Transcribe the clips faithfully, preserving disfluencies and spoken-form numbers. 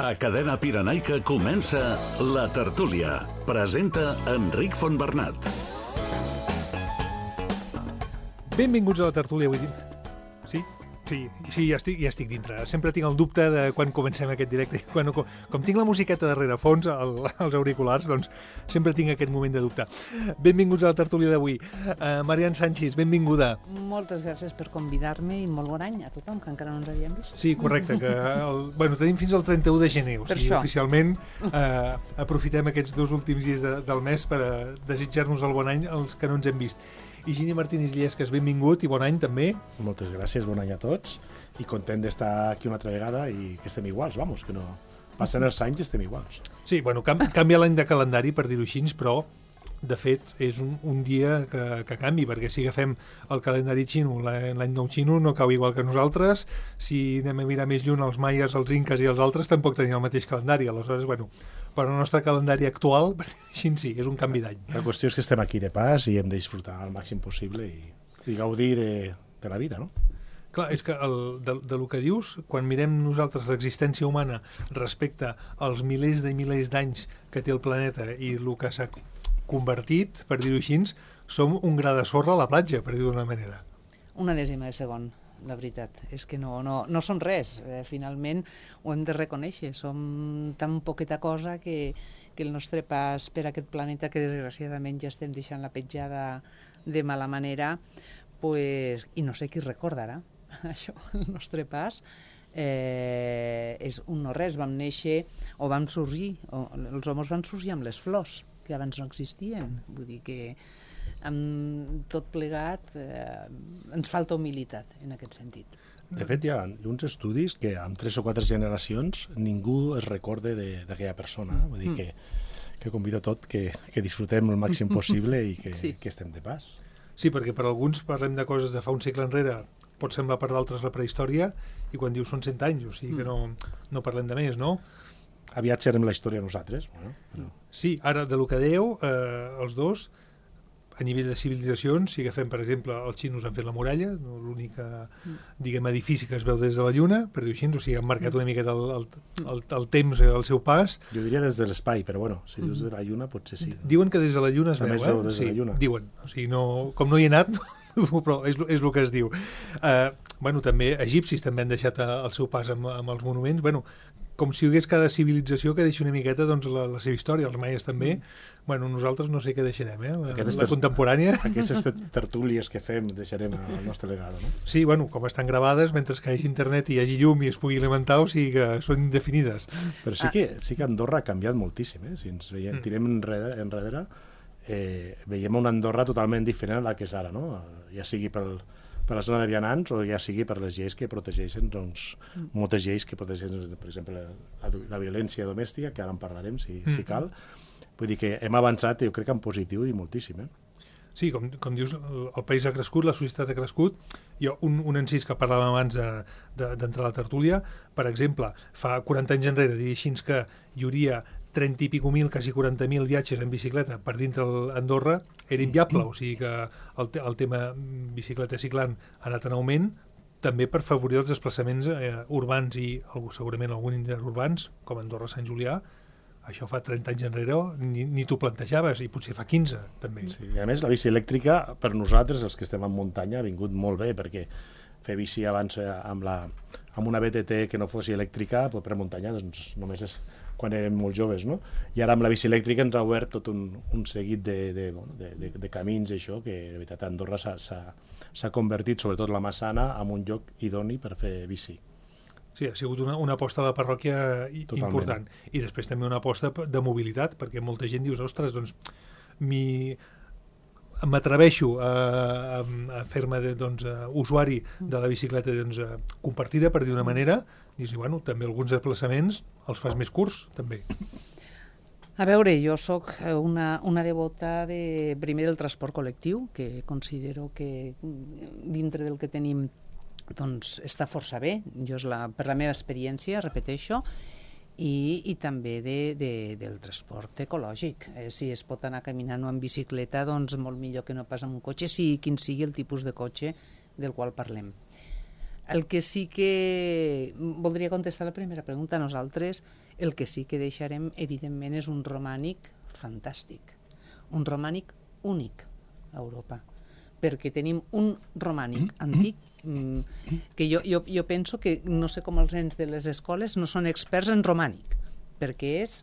A Cadena Pirenaica comença La Tertúlia. Presenta Enric Fontbernat. Benvinguts a La Tertúlia, vull dir... Sí? Sí, sí, ja estic, ja estic dintre. Sempre tinc el dubte de quan comencem aquest directe. Quan, com, com tinc la musiqueta darrere fons, el, els auriculars, doncs sempre tinc aquest moment de dubte. Benvinguts a La Tertúlia d'avui. Uh, Marian Sánchez, benvinguda. Moltes gràcies per convidar-me i molt bon any a tothom, que encara no ens havíem vist. Sí, correcte. Que el, bueno, tenim fins al trenta-u de gener, o sigui, oficialment uh, aprofitem aquests dos últims dies de, del mes per uh, desitjar-nos el bon any als que no ens hem vist. Higini Martínez Illescas, benvingut i bon any també. Moltes gràcies, bon any a tots i content d'estar aquí una altra vegada i que estem iguals, vamos, que no passen els anys i estem iguals. Sí, bueno, cam canvia l'any de calendari, per dir-ho així, però de fet és un, un dia que, que canvi, perquè si agafem el calendari xino, l'any nou xino no cau igual que nosaltres, si anem a mirar més lluny els maies, els inques i els altres tampoc tenien el mateix calendari, aleshores, bueno, per al nostre calendari actual, així sí, és un canvi d'any. La qüestió és que estem aquí de pas i hem de disfrutar al màxim possible i, i gaudir de, de la vida, no? Clar, és que el, de, de lo que dius, quan mirem nosaltres l'existència humana respecte als milers de milers d'anys que té el planeta i el que s'ha convertit, per dir-ho així, som un gra de sorra a la platja, per dir-ho d'una manera. Una dècima de segon. La veritat és que no, no, no som res, eh, finalment ho hem de reconèixer, som tan poqueta cosa que, que el nostre pas per aquest planeta, que desgraciadament ja estem deixant la petjada de mala manera, pues, i no sé qui recordarà això, el nostre pas, eh, és un no res, vam néixer o vam sorgir, o, els homes van sorgir amb les flors, que abans no existien, vull dir que amb tot plegat eh, ens falta humilitat en aquest sentit. De fet, hi ha uns estudis que amb tres o quatre generacions ningú es recorde d'aquella persona. Vull dir que, que convido tot que, que disfrutem el màxim possible i que, sí. que estem de pas. Sí, perquè per alguns parlem de coses de fa un segle enrere, pot semblar per d'altres la prehistòria, i quan dius són cent anys, o sigui que no, no parlem de més, no? Aviat serem la història nosaltres. Bueno, però... Sí, ara, de lo que dèieu, eh, els dos, a nivell de civilitzacions, si agafem, per exemple, els xinos han fet la muralla, no, l'únic diguem, edifici que es veu des de la Lluna, per dir-ho així, o sigui, han marcat una miqueta el, el, el, el temps, el seu pas. Jo diria des de l'espai, però bueno, si dius de la Lluna potser sí. Diuen que des de la Lluna es També veu, es veu eh? des Sí, de la Lluna. diuen, o sigui, no, com no hi he anat, però és, és el que es diu. Uh, bueno, també egipcis també han deixat el seu pas amb, amb els monuments, bueno, com si hi hagués cada civilització que deixi una miqueta doncs, la, la seva història, els maies també. Bueno, nosaltres no sé què deixarem, eh? La, la contemporània. Aquestes tertúlies que fem deixarem el nostre legado, no? Sí, bueno, com estan gravades, mentre que hi hagi internet i hi hagi llum i es pugui alimentar, o sigui que són indefinides. Però sí que, sí que Andorra ha canviat moltíssim, eh? Si ens veiem, tirem enrere, enrere eh, veiem una Andorra totalment diferent a la que és ara, no? Ja sigui pel... per la zona de vianants o ja sigui per les lleis que protegeixen, doncs, mm. moltes lleis que protegeixen, per exemple, la, la violència domèstica, que ara en parlarem, si, mm. si cal. Vull dir que hem avançat, jo crec que en positiu i moltíssim, eh? Sí, com, com dius, el, el país ha crescut, la societat ha crescut. Jo, un, un encís que parlàvem abans d'entrar de, de, a la tertúlia, per exemple, fa quaranta anys enrere, dir així que hi hauria trenta i pico mil, quasi quaranta mil viatges en bicicleta per dintre Andorra, era inviable, o sigui que el, te el tema bicicleta ciclant ha anat en augment, també per favorir els desplaçaments eh, urbans i segurament alguns interurbans, com Andorra-Sant Julià. Això fa trenta anys enrere ni, ni t'ho plantejaves, i potser fa quinze, també. Sí, i a més, la bici elèctrica, per nosaltres, els que estem en muntanya, ha vingut molt bé, perquè fer bici abans amb, la, amb una B T T que no fos elèctrica, per muntanya, doncs només és quan érem molt joves, no? I ara amb la bici elèctrica ens ha obert tot un, un seguit de, de, de, de, de camins, això, que de veritat Andorra s'ha convertit, sobretot la Massana, en un lloc idoni per fer bici. Sí, ha sigut una, una aposta de la parròquia Totalment. Important. I després també una aposta de mobilitat, perquè molta gent dius, ostres, doncs, m'atreveixo a, a, a fer-me doncs, usuari de la bicicleta doncs, compartida, per dir d'una manera, i bueno, també alguns desplaçaments els fas més curts, també. A veure, jo sóc una, una devota de, primer del transport col·lectiu, que considero que dintre del que tenim doncs, està força bé. Jo és la, per la meva experiència, repeteixo, i, i també de, de, del transport ecològic. Eh, si es pot anar caminant o en bicicleta, doncs molt millor que no pas amb un cotxe, sigui quin sigui el tipus de cotxe del qual parlem. El que sí que voldria contestar la primera pregunta, nosaltres El que sí que deixarem, evidentment, és un romànic fantàstic, un romànic únic a Europa, perquè tenim un romànic antic que jo, jo, jo penso que no sé com els nens de les escoles no són experts en romànic, perquè és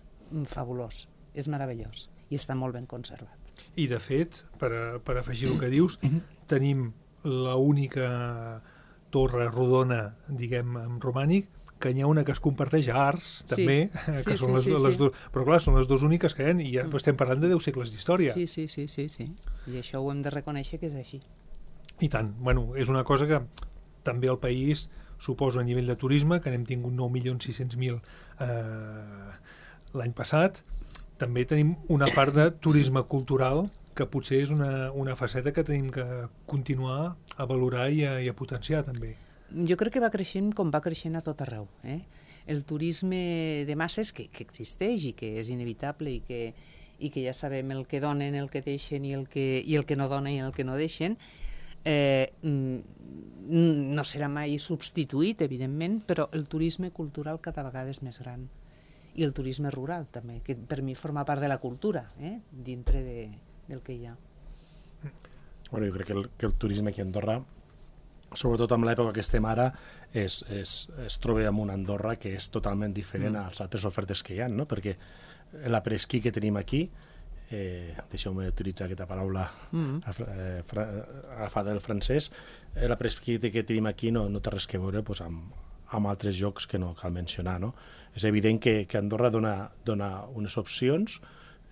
fabulós, és meravellós i està molt ben conservat. I de fet, per, a, per afegir el que dius, tenim l'única torre rodona, diguem, en romànic, que n'hi ha una que es comparteix a Ars, també, sí, que sí, són les, sí, sí, les sí. dues, però clar, són les dues úniques que hi ha, i ja estem parlant de deu segles d'història. Sí, sí, sí, sí, sí, i això ho hem de reconèixer que és així. I tant, bueno, és una cosa que també el país suposa a nivell de turisme, que n'hem tingut nou milions sis-cents mil eh, l'any passat. També tenim una part de turisme cultural, que potser és una, una faceta que tenim que continuar a valorar i a, i a potenciar, també. Jo crec que va creixent com va creixent a tot arreu. Eh? El turisme de masses, que, que existeix i que és inevitable i que, i que ja sabem el que donen, el que deixen i el que, i el que no donen i el que no deixen, eh, no serà mai substituït, evidentment, però el turisme cultural cada vegada és més gran. I el turisme rural, també, que per mi forma part de la cultura, eh? dintre de, del que hi ha. Bueno, jo crec que el, que el turisme aquí a Andorra, sobretot en l'època que estem ara, es, es, es troba amb una Andorra que és totalment diferent mm. a les altres ofertes que hi ha, no? Perquè l'apresquí que tenim aquí, eh, deixeu-me utilitzar aquesta paraula mm. agafada del francès, l'apresquí que tenim aquí no, no té res que veure pues, amb, amb altres llocs que no cal mencionar. No? És evident que, que Andorra dona, dona unes opcions,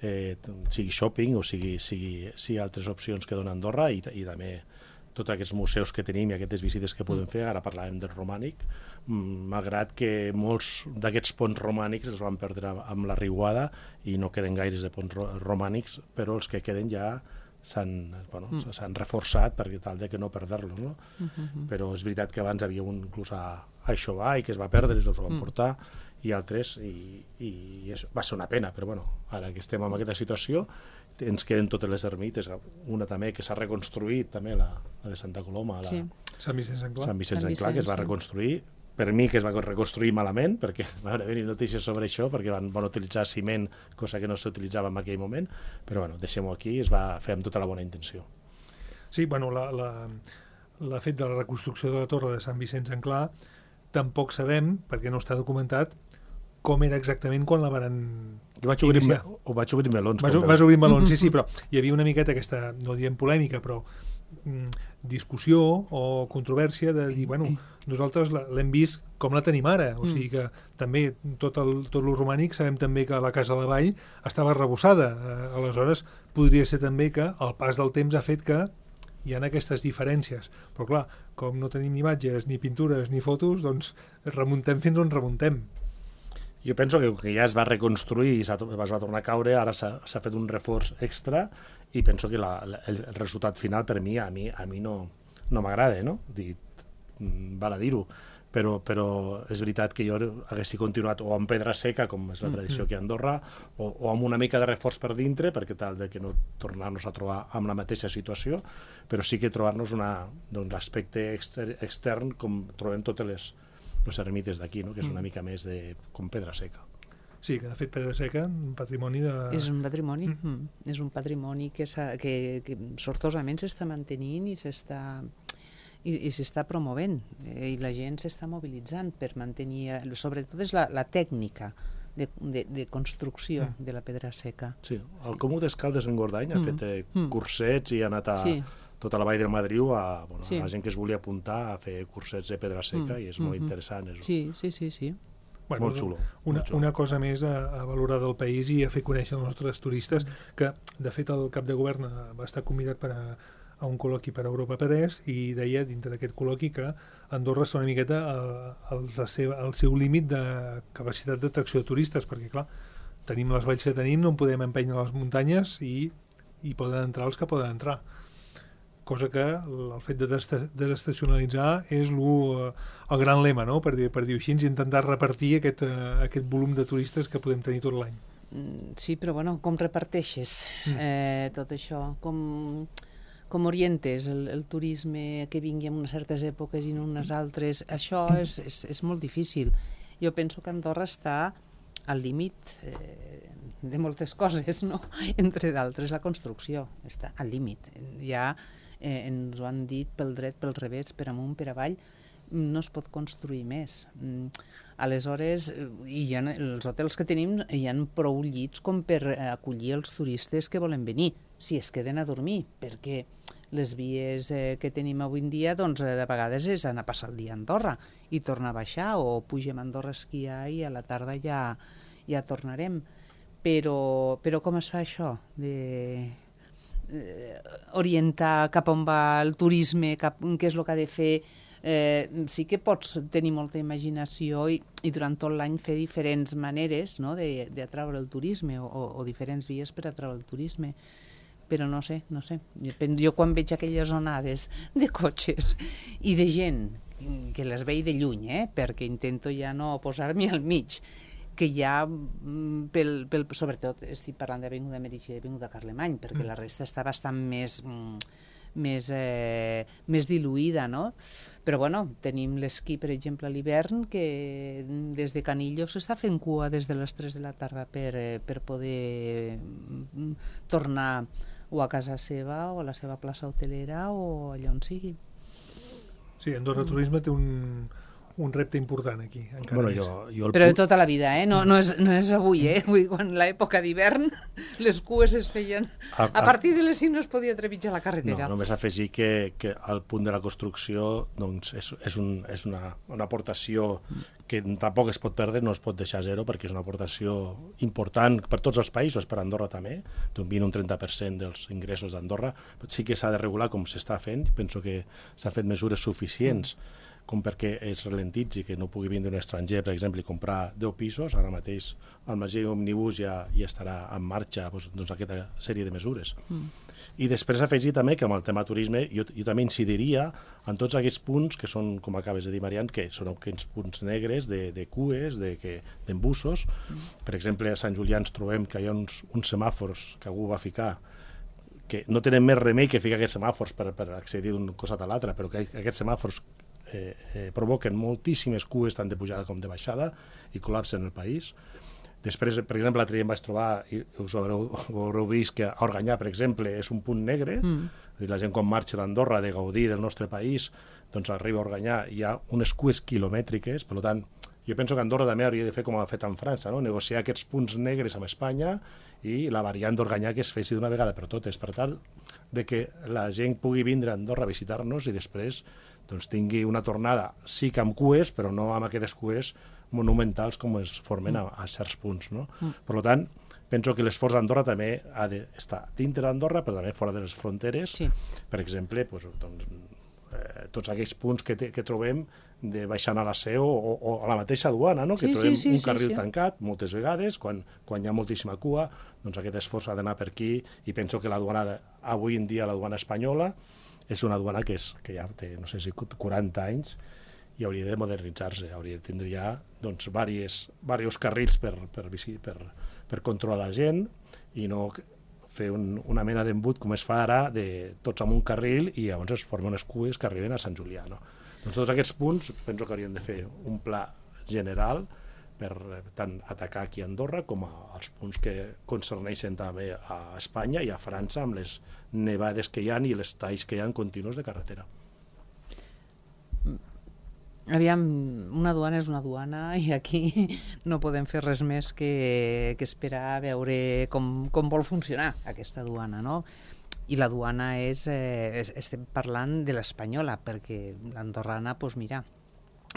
eh, sigui shopping o sigui, sigui, sigui altres opcions que dona Andorra i, i també tots aquests museus que tenim i aquestes visites que podem fer. Ara parlàvem del romànic, malgrat que molts d'aquests ponts romànics els van perdre amb la riuada i no queden gaires de ponts romànics, però els que queden ja s'han bueno, mm. reforçat per tal de que no perdre-los. No? Mm-hmm. Però és veritat que abans havia un inclús a, a Aixovà i que es va perdre, els van mm. portar, i altres, i, i és, va ser una pena, però bueno, ara que estem en aquesta situació ens queden totes les ermites, una també que s'ha reconstruït, també la, la de Santa Coloma, la, sí. Sant Vicenç en Clar, Sant Vicenç en Clar, que es va reconstruir, per mi que es va reconstruir malament, perquè van haver notícies sobre això, perquè van, van utilitzar ciment, cosa que no s'utilitzava en aquell moment, però bueno, deixem-ho aquí, es va fer amb tota la bona intenció. Sí, bueno, la, la, la fet de la reconstrucció de la torre de Sant Vicenç en Clar, tampoc sabem, perquè no està documentat, com era exactament quan la van jo vaig obrir, me, o vaig obrir melons. Vas, vas obrir melons, sí, sí, però hi havia una miqueta aquesta, no diem polèmica, però mm, discussió o controvèrsia de dir, bueno, nosaltres l'hem vist com la tenim ara, o sigui que també tot el, tot el romànic sabem també que la Casa de la Vall estava arrebossada, eh, aleshores podria ser també que el pas del temps ha fet que hi ha aquestes diferències, però clar, com no tenim ni imatges, ni pintures, ni fotos, doncs remuntem fins on remuntem. Jo penso que, que ja es va reconstruir i es va tornar a caure, ara s'ha fet un reforç extra i penso que la, la, el resultat final per mi, a mi, a mi no, no m'agrada, no? Dit, val a dir-ho, però, però és veritat que jo haguessi continuat o amb pedra seca, com és la tradició aquí a Andorra, o, o amb una mica de reforç per dintre, perquè tal de que no tornar-nos a trobar amb la mateixa situació, però sí que trobar-nos doncs, l'aspecte exter, extern com trobem totes les les ermites d'aquí, no? Que és una mica més de com pedra seca. Sí, que de fet pedra seca, un patrimoni de... És un patrimoni, mm. Mm. és un patrimoni que, que, que sortosament s'està mantenint i s'està i, i s'està promovent, eh, i la gent s'està mobilitzant per mantenir, sobretot és la, la tècnica de, de, de construcció mm. de la pedra seca. Sí, el Comú d'Escaldes en Gordany mm. ha fet eh, mm. cursets i ha anat a... Sí. tota la vall del Madriu a, bueno, sí. a la gent que es volia apuntar a fer cursets de pedra seca mm. i és molt mm-hmm. interessant. És sí, sí, sí, sí. Bueno, molt xulo. Una, molt xulo. Una cosa més a, a valorar del país i a fer conèixer els nostres turistes, que de fet el cap de govern va estar convidat per a, a un col·loqui per a Europa Pedès i deia dintre d'aquest col·loqui que Andorra està una miqueta al, al seu límit de capacitat d'atracció de turistes, perquè clar, tenim les valls que tenim, no en podem empènyer les muntanyes i, i poden entrar els que poden entrar. Cosa que el fet de desestacionalitzar és lo, el gran lema, no? per dir, per dir així, intentar repartir aquest, aquest volum de turistes que podem tenir tot l'any. Sí, però bueno, com reparteixes eh, tot això? Com, com orientes el, el turisme que vingui en unes certes èpoques i en unes altres? Això és, és, és molt difícil. Jo penso que Andorra està al límit eh, de moltes coses, no? Entre d'altres la construcció, està al límit. Ja eh, ens ho han dit pel dret, pel revés, per amunt, per avall, no es pot construir més. Aleshores, hi ha, els hotels que tenim hi ha prou llits com per acollir els turistes que volen venir, si es queden a dormir, perquè les vies eh, que tenim avui en dia, doncs, de vegades és anar a passar el dia a Andorra i tornar a baixar, o pugem a Andorra a esquiar i a la tarda ja, ja tornarem. Però, però com es fa això? De, eh, orientar cap on va el turisme, cap, què és el que ha de fer. Eh, sí que pots tenir molta imaginació i, i durant tot l'any fer diferents maneres, no?, d'atraure el turisme o, o, o diferents vies per atraure el turisme. Però no sé, no sé. Jo quan veig aquelles onades de cotxes i de gent, que les veig de lluny, eh, perquè intento ja no posar-m'hi al mig, que ja, pel, pel, sobretot estic parlant d'Avinguda Meritxell i d'Avinguda Carlemany, perquè la resta està bastant més... més, eh, més diluïda, no? Però bueno, tenim l'esquí, per exemple, a l'hivern, que des de Canillo s'està fent cua des de les tres de la tarda per, eh, per poder tornar o a casa seva o a la seva plaça hotelera o allà on sigui. Sí, Andorra Turisme té un, un repte important aquí. Bueno, jo, jo Però de tota la vida, eh? No, no, és, no és avui, eh? Vull dir, quan l'època d'hivern les cues es feien... A, a, a partir de les cinc no es podia trepitjar la carretera. No, només afegir que, que el punt de la construcció doncs, és, és, un, és una, una aportació que tampoc es pot perdre, no es pot deixar a zero, perquè és una aportació important per tots els països, per Andorra també, d'un vint a un trenta per cent dels ingressos d'Andorra. Sí que s'ha de regular com s'està fent, penso que s'ha fet mesures suficients mm. com perquè es ralentitzi, que no pugui vindre un estranger, per exemple, i comprar deu pisos. Ara mateix el Magí Omnibus ja, ja estarà en marxa doncs, doncs, aquesta sèrie de mesures. Mm. I després afegir també que amb el tema turisme jo, jo també incidiria en tots aquests punts que són, com acabes de dir, Marian, que són aquests punts negres de, de cues, d'embussos. De, mm. Per exemple, a Sant Julià ens trobem que hi ha uns, uns semàfors que algú va ficar que no tenen més remei que ficar aquests semàfors per, per accedir d'un costat a l'altre, però que aquests semàfors Eh, eh, provoquen moltíssimes cues tant de pujada com de baixada i col·lapsen el país. Després, per exemple, l'altre dia em vaig trobar, i us haureu, haureu vist que a Organyà, per exemple, és un punt negre, mm. i la gent quan marxa d'Andorra de gaudir del nostre país, doncs arriba a Organyà, hi ha unes cues quilomètriques, per tant, jo penso que Andorra també hauria de fer com ha fet en França, no? Negociar aquests punts negres amb Espanya i la variant d'Organyà que es fessi d'una vegada per totes, per tal de que la gent pugui vindre a Andorra a visitar-nos i després doncs, tingui una tornada, sí que amb cues, però no amb aquestes cues monumentals com es formen a, a certs punts. No? Mm. Per tant, penso que l'esforç d'Andorra també ha d'estar dintre d'Andorra, però també fora de les fronteres. Sí. Per exemple, doncs, doncs, eh, tots aquells punts que, te, que trobem de baixant a la Seu o, o a la mateixa duana, no? Que sí, trobem sí, sí, un carril sí, sí. tancat moltes vegades, quan, quan hi ha moltíssima cua, doncs aquest esforç ha d'anar per aquí, i penso que la duana, de, avui en dia la duana espanyola, és una duana que, és, que ja té, no sé si quaranta anys, i hauria de modernitzar-se, hauria de tindre ja doncs, diversos, diversos carrils per, per, per, per controlar la gent, i no fer un, una mena d'embut com es fa ara, de tots amb un carril, i llavors es formen unes cues que arriben a Sant Julià. No? Doncs tots aquests punts penso que haurien de fer un pla general per tant atacar aquí a Andorra com als punts que concerneixen també a Espanya i a França amb les nevades que hi ha i les talls que hi ha continus de carretera. Aviam, una duana és una duana i aquí no podem fer res més que, que esperar a veure com, com vol funcionar aquesta duana, no? I la duana és, eh, estem parlant de l'espanyola, perquè l'andorrana, doncs mira,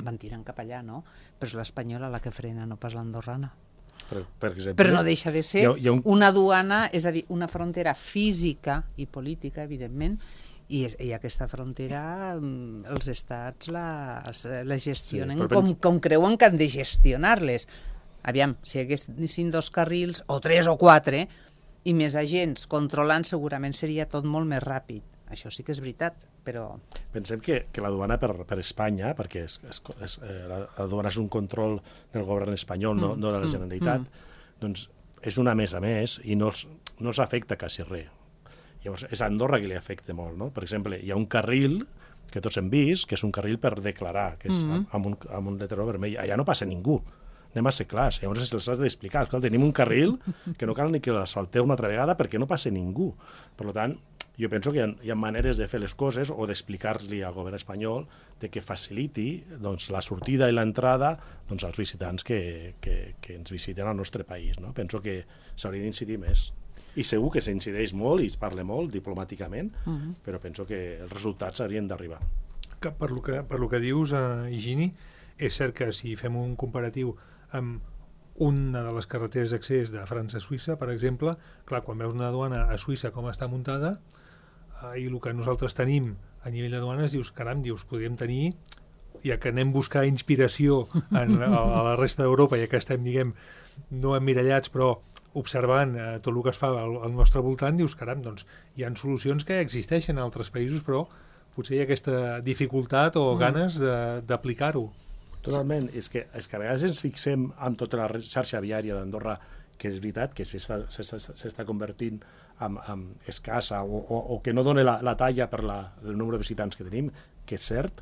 van tirant cap allà, no? Però és l'espanyola la que frena, no pas l'andorrana. Per, per exemple, però no deixa de ser hi ha, hi ha un... una duana, és a dir, una frontera física i política, evidentment, i, és, i aquesta frontera els estats la, la gestionen sí, com, com creuen que han de gestionar-les. Aviam, si hi haguessin dos carrils, o tres o quatre, i més agents controlant, segurament seria tot molt més ràpid. Això sí que és veritat, però... Pensem que, que la duana per, per Espanya, perquè és, és, és, eh, la, la duana és un control del govern espanyol, mm, no, no de la Generalitat, mm, doncs és una més a més i no els, no els afecta quasi res. Llavors, és a Andorra que li afecta molt, no? Per exemple, hi ha un carril que tots hem vist, que és un carril per declarar, que és mm -hmm. amb, un, amb un letrero vermell. Allà no passa ningú. anem a ser clars. Llavors se'ls has d'explicar. Escolta, tenim un carril que no cal ni que l'asfalteu una altra vegada perquè no passa ningú. Per tant, jo penso que hi ha, hi ha maneres de fer les coses o d'explicar-li al govern espanyol de que faciliti doncs, la sortida i l'entrada doncs, als visitants que, que, que ens visiten al nostre país. No? Penso que s'hauria d'incidir més. I segur que s'incideix molt i es parla molt diplomàticament, uh-huh. però penso que els resultats haurien d'arribar. Que per lo que, per lo que dius, eh, Higini, és cert que si fem un comparatiu amb una de les carreteres d'accés de França a Suïssa, per exemple, clar, quan veus una duana a Suïssa com està muntada, eh, i el que nosaltres tenim a nivell de duanes, dius, caram, dius, podríem tenir, ja que anem a buscar inspiració en, a, a la resta d'Europa, ja que estem, diguem, no emmirallats, però observant eh, tot el que es fa al, al nostre voltant, dius, caram, doncs hi ha solucions que existeixen en altres països, però potser hi ha aquesta dificultat o mm. ganes d'aplicar-ho. Totalment. És que, és que a vegades ens fixem en tota la xarxa viària d'Andorra, que és veritat que s'està convertint en, en escassa o, o, o que no dona la, la talla per la, el nombre de visitants que tenim, que és cert,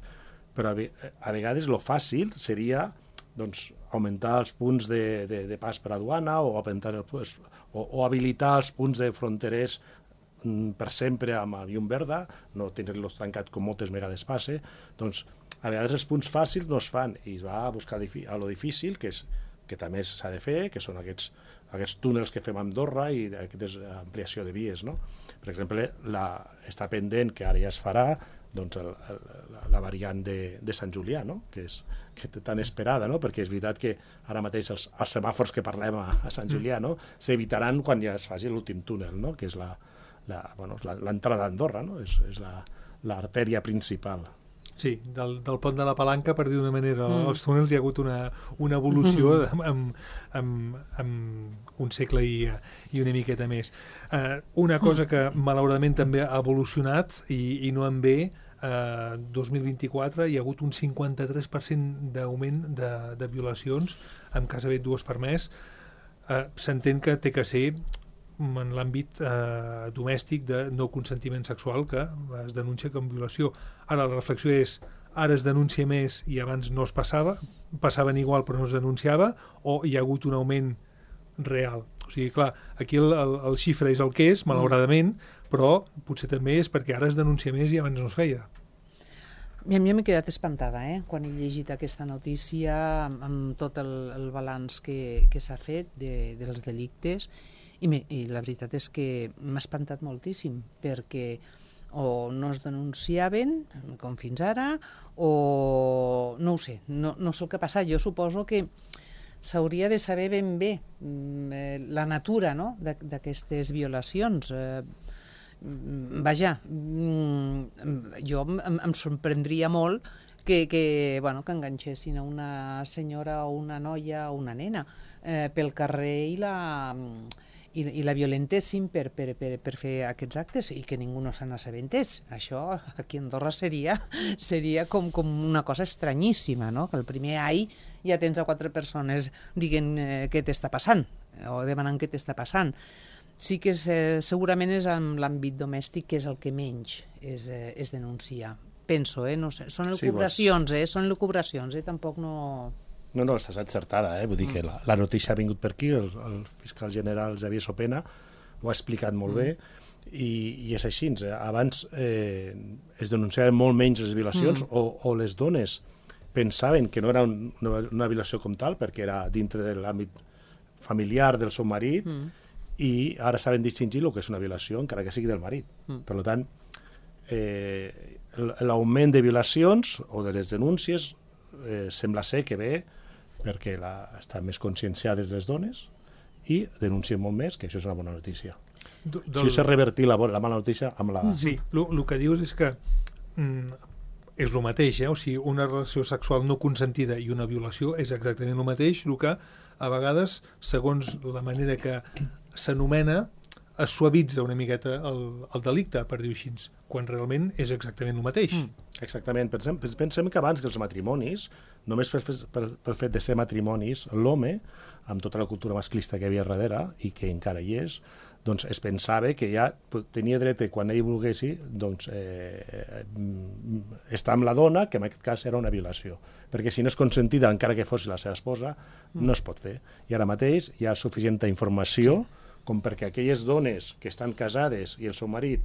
però a, a vegades lo fàcil seria doncs, augmentar els punts de, de, de pas per a duana o, augmentar el, o, o habilitar els punts de fronterers per sempre amb el llum verda, no tenir-los tancat com moltes vegades passa. Doncs a vegades els punts fàcils no es fan i es va a buscar a lo difícil, que, és, que també s'ha de fer, que són aquests, aquests túnels que fem a Andorra i aquesta ampliació de vies. No? Per exemple, la, està pendent, que ara ja es farà, doncs el, el, la, la variant de, de Sant Julià, no? que és que tan esperada, no? perquè és veritat que ara mateix els, els semàfors que parlem a, a Sant Julià no? s'evitaran quan ja es faci l'últim túnel, no? que és la, la, bueno, l'entrada d'Andorra, no? és, és l'artèria principal. Sí, del, del pont de la Palanca, per dir d'una manera, mm. als túnels hi ha hagut una, una evolució mm. amb, amb, amb un segle i, i una miqueta més. Uh, una cosa que malauradament també ha evolucionat i, i no en bé, uh, dos mil vint-i-quatre hi ha hagut un cinquanta-tres per cent d'augment de, de violacions, amb quasi dues per mes. Uh, s'entén que té que ser en l'àmbit eh, domèstic de no consentiment sexual que es denuncia com violació. Ara la reflexió és, ara es denuncia més i abans no es passava, passaven igual però no es denunciava, o hi ha hagut un augment real. O sigui, clar, aquí el, el, el xifre és el que és, malauradament, però potser també és perquè ara es denuncia més i abans no es feia. A mi m'he quedat espantada eh? quan he llegit aquesta notícia amb, amb tot el, el balanç que, que s'ha fet de, dels delictes. I, me, I la veritat és que m'ha espantat moltíssim, perquè o no es denunciaven, com fins ara, o no ho sé, no, no sé el que ha passat. Jo suposo que s'hauria de saber ben bé eh, la natura no? d'aquestes violacions. Eh, vaja, jo em, em sorprendria molt que, que, bueno, que enganxessin a una senyora o una noia o una nena eh, pel carrer i la... I, i la violentessin per, per, per, per fer aquests actes i que ningú no se n'assabentés. Això aquí a Andorra seria, seria com, com una cosa estranyíssima, no? Que el primer ai ja tens a quatre persones dient eh, què t'està passant o demanant què t'està passant. Sí que és, eh, segurament és en l'àmbit domèstic que és el que menys es, eh, es denuncia. Penso, eh? No sé. Són elucubracions, sí, eh? Són elucubracions, eh? Tampoc no... No, no, estàs encertada, eh? Vull dir que la, la notícia ha vingut per aquí, el, el fiscal general Xavier Sopena ho ha explicat molt bé, i, i és així. Abans eh, es denunciaven molt menys les violacions, mm. o, o les dones pensaven que no era un, una, una violació com tal, perquè era dintre de l'àmbit familiar del seu marit, mm. i ara saben distingir el que és una violació, encara que sigui del marit. Mm. Per tant, eh, l'augment de violacions o de les denúncies eh, sembla ser que ve perquè la, estan més conscienciades les dones i denuncien molt més, que això és una bona notícia. Del... Si això és revertir la, la mala notícia amb la... Sí, el que dius és que mm, és el mateix, eh? O sigui, una relació sexual no consentida i una violació és exactament el mateix, el que a vegades, segons la manera que s'anomena, es suavitza una miqueta el, el delicte, per dir-ho així, quan realment és exactament el mateix. Mm. Exactament. Pensem, pensem que abans que els matrimonis, només per, per, per fet de ser matrimonis, l'home, amb tota la cultura masclista que hi havia darrere, i que encara hi és, doncs es pensava que ja tenia dret, quan ell volguessi, doncs, eh, estar amb la dona, que en aquest cas era una violació. Perquè si no és consentida, encara que fos la seva esposa, no es pot fer. I ara mateix hi ha suficient informació sí. com perquè aquelles dones que estan casades i el seu marit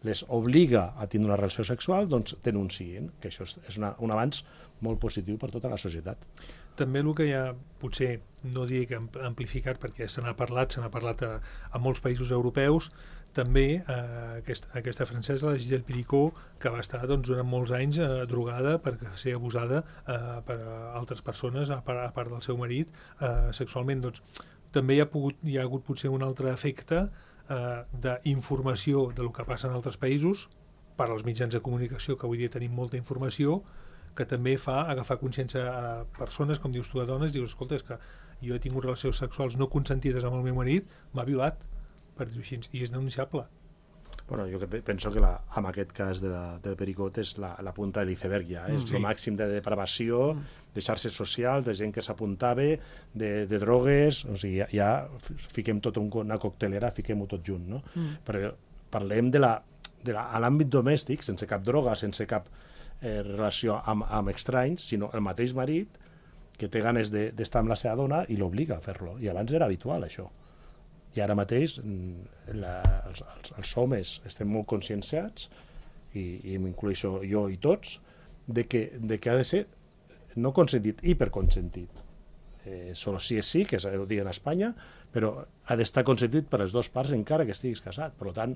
les obliga a tindre una relació sexual, doncs denuncien, que això és una, un avanç molt positiu per tota la societat. També el que hi ha, potser, no dic amplificat, perquè se n'ha parlat, se n'ha parlat a, a molts països europeus, també eh, aquesta, aquesta francesa, la Gisèle Pericot, que va estar doncs, durant molts anys eh, drogada per ser abusada eh, per altres persones, a part, a part del seu marit, eh, sexualment. Doncs, també hi ha, pogut, hi ha hagut potser un altre efecte eh, d'informació del que passa en altres països, per als mitjans de comunicació, que avui dia tenim molta informació, que també fa agafar consciència a persones, com dius tu, a dones, dius, escolta, és que jo he tingut relacions sexuals no consentides amb el meu marit, m'ha violat, per dir-ho així, i és denunciable. Bueno, jo penso que la, en aquest cas de la, del Pericot és la, la punta de l'iceberg ja, és mm. el màxim de depravació, mm. de xarxes socials, de gent que s'apuntava, de, de drogues, o sigui, ja, ja fiquem tot un, una coctelera, fiquem-ho tot junt, no? Mm. Però parlem de la, de la, a l'àmbit domèstic, sense cap droga, sense cap eh, relació amb, amb estranys, sinó el mateix marit que té ganes d'estar de, amb la seva dona i l'obliga a fer-lo. I abans era habitual, això. I ara mateix la, els, els, els homes estem molt conscienciats, i, i m'incloixo jo i tots, de que, de que ha de ser no consentit, hiperconsentit. Eh, solo si és sí, que ho diuen a Espanya, però ha d'estar consentit per les dues parts encara que estiguis casat. Per tant,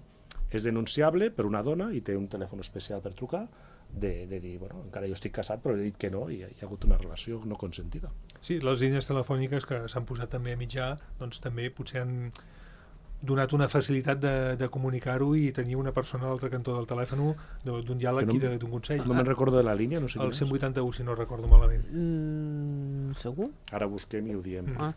és denunciable per una dona i té un telèfon especial per trucar, de, de dir, bueno, encara jo estic casat però he dit que no i hi ha hagut una relació no consentida. Sí, les línies telefòniques que s'han posat també a mitjà, doncs també potser han donat una facilitat de, de comunicar-ho i tenir una persona a l'altre cantó del telèfon d'un diàleg no, i d'un consell. No me'n recordo de la línia, no sé el cent vuitanta-u, si no recordo malament. Mm, segur? Ara busquem i ho diem. Ah.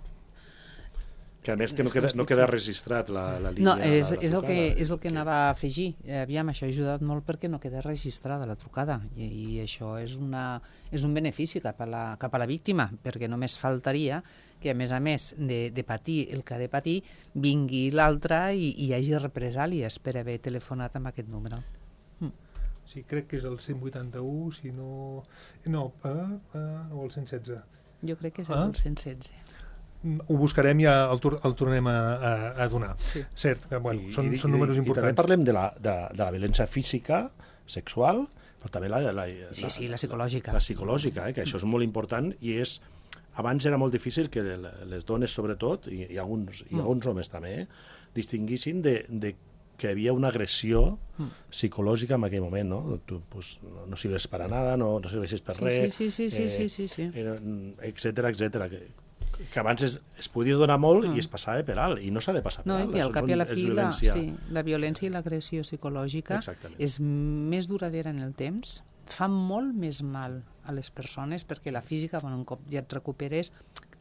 Que a més que no queda, no queda registrat la, la línia. No, és, la, la és, el que, és el que que... anava a afegir. Aviam, això ha ajudat molt perquè no queda registrada la trucada i, i això és, una, és un benefici cap a, la, cap a la víctima, perquè només faltaria que a més a més de, de patir el que ha de patir vingui l'altre i, i hi hagi represàlies per haver telefonat amb aquest número. Mm. Sí, crec que és el cent vuitanta-u, si no... No, uh, uh, o el cent setze. Jo crec que és ah? el cent setze. Ho buscarem i ja el, el tornem a, a, a donar. Sí. Cert, que bueno, I, són, i, són números i, importants. I també parlem de la, de, de la violència física, sexual, però també la, la, sí, la, sí, la psicològica. La psicològica, eh, que això és molt important i és... Abans era molt difícil que les dones, sobretot, i, i, alguns, i alguns homes també, eh, distinguissin de, de que hi havia una agressió psicològica en aquell moment, no? Tu pues, no, no sirves per a nada, no, no serveixes per sí, res, sí, sí, sí, eh, sí, sí, sí. etcètera, etcètera. Que, que abans es, es podia donar molt mm. i es passava per alt, i no s'ha de passar per no, alt. I al cap i a la fi, la, sí, la violència i mm. l'agressió psicològica Exactament. És més duradera en el temps, fa molt més mal a les persones, perquè la física, bueno, un cop ja et recuperes,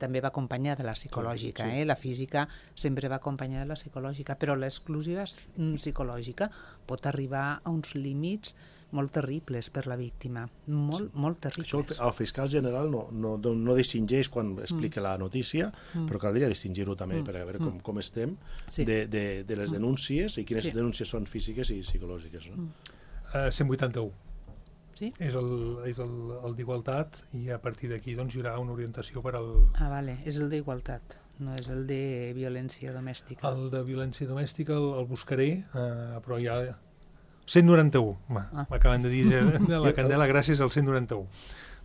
també va acompanyada de la psicològica, sí. eh? La física sempre va acompanyada de la psicològica, però l'exclusiva psicològica pot arribar a uns límits molt terribles per la víctima, molt, sí. molt terribles. Això el fiscal general no, no, no distingeix quan explica mm. la notícia, mm. però caldria distingir-ho també mm. per veure com, com estem sí. de, de, de les denúncies i quines sí. denúncies són físiques i psicològiques. No? Mm. Uh, cent vuitanta-u. Sí? És el, és el, el d'igualtat i a partir d'aquí doncs, hi haurà una orientació per al... Ah, vale, és el d'igualtat, no és el de violència domèstica. El de violència domèstica el, el buscaré, uh, però ja... cent noranta-u, m'acaben ah. de dir de la Candela, gràcies al cent noranta-u.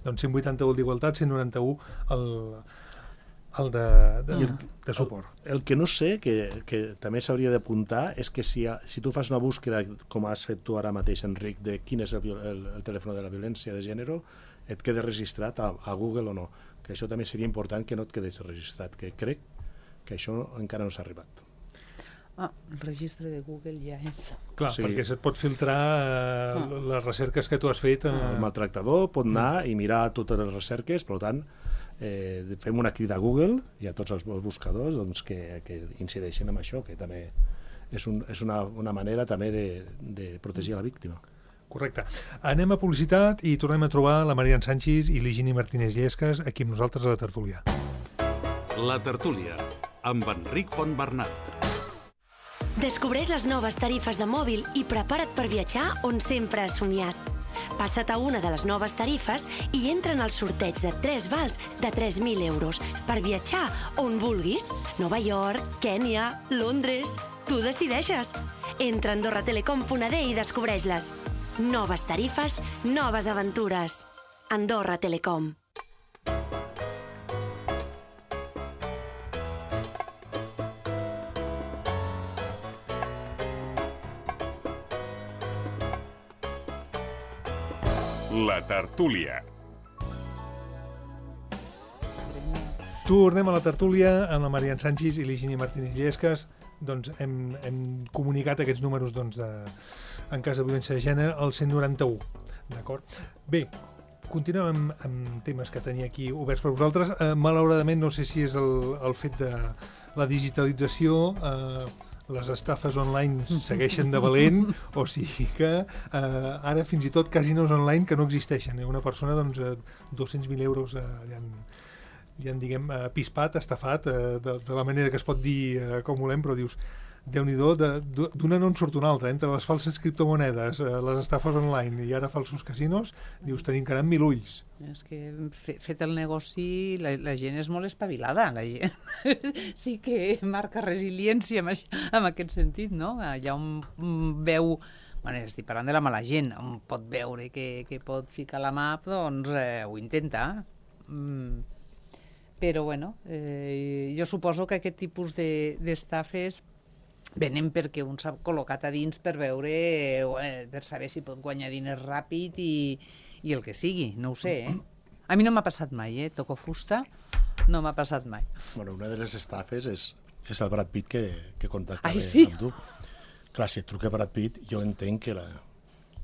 Doncs cent vuitanta-u el d'igualtat, cent noranta-u el, el de, de, el, de suport. El, el que no sé, que, que també s'hauria d'apuntar, és que si, si tu fas una búsqueda, com has fet tu ara mateix, Enric, de quin és el, el, el telèfon de la violència de gènere, et queda registrat a, a Google o no. Que això també seria important que no et quedés registrat, que crec que això encara no s'ha arribat. Ah, el registre de Google ja és... Clar, sí. perquè se't pot filtrar eh, ah. les recerques que tu has fet. Eh... El maltractador pot anar i mirar totes les recerques, per tant, eh, fem una crida a Google i a tots els buscadors doncs, que, que incideixin en això, que també és, un, és una, una manera també de, de protegir la víctima. Correcte. Anem a publicitat i tornem a trobar la Marian Sánchez i l'Higini Martínez Llesques aquí amb nosaltres a la tertúlia. La tertúlia, amb Enric Fontbernat. Descobreix les noves tarifes de mòbil i prepara't per viatjar on sempre has somiat. Passa't a una de les noves tarifes i entra en el sorteig de tres vals de tres mil euros per viatjar on vulguis. Nova York, Kènia, Londres... Tu decideixes. Entra a andorra telecom punt a d i descobreix-les. Noves tarifes, noves aventures. Andorra Telecom. La tertúlia. Tornem a la tertúlia amb la Marian Sanchis i l'Higini Martínez Llescas. Doncs hem, hem comunicat aquests números doncs, de, en cas de violència de gènere al cent noranta-u. D'acord? Bé, continuem amb, amb temes que tenia aquí oberts per vosaltres. Eh, malauradament, no sé si és el, el fet de la digitalització, eh, les estafes online segueixen de valent, o sigui que eh, ara fins i tot casinos online que no existeixen. Eh? Una persona, doncs, eh, dos-cents mil euros eh, ja han, ja en diguem, eh, pispat, estafat, eh, de, de la manera que es pot dir eh, com volem, però dius, Déu-n'hi-do, d'una no en surt una altra, entre les falses criptomonedes, eh, les estafes online i ara falsos casinos, dius, tenim que anar amb mil ulls. És que fe, fet el negoci, la, la gent és molt espavilada, la gent sí que marca resiliència en, això, en aquest sentit, no? Allà on veu, bueno, estic parlant de la mala gent, on pot veure que, que pot ficar la mà, doncs eh, ho intenta. Mm. Però, bueno, eh, jo suposo que aquest tipus d'estafes de, venen perquè un s'ha col·locat a dins per veure, eh, per saber si pot guanyar diners ràpid i, i el que sigui, no ho sé, eh? A mi no m'ha passat mai, eh? Toco fusta, no m'ha passat mai. Bueno, una de les estafes és, és el Brad Pitt que, que contacta Ai, sí? amb tu. Clar, si et truca Brad Pitt, jo entenc que, la,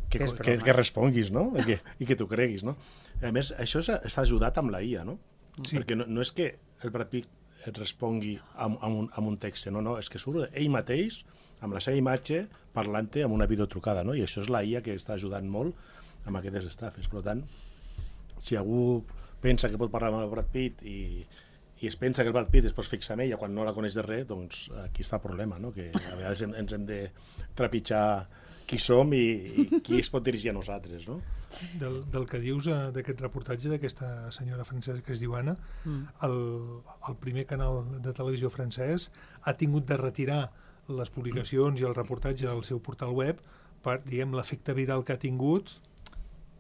que, Que és que, broma. que responguis, no? I que, i que t'ho creguis, no? A més, això s'ha ajudat amb la I A, no? Sí. Perquè no, no és que el Brad Pitt et respongui amb, amb, un, amb un text, no, no, és que surt ell mateix, amb la seva imatge, parlant-te amb una videotrucada, no? I això és la I A que està ajudant molt amb aquestes estafes. Per tant, si algú pensa que pot parlar amb el Brad Pitt i, i es pensa que el Brad Pitt es pot fixar en ella quan no la coneix de res, doncs aquí està el problema, no? Que a vegades ens hem de trepitjar qui som i, i qui es pot dirigir a nosaltres, no? Del, del que dius eh, d'aquest reportatge d'aquesta senyora francesa que es diu Anna, mm. el, el primer canal de televisió francès ha tingut de retirar les publicacions i el reportatge del seu portal web per, diguem, l'efecte viral que ha tingut,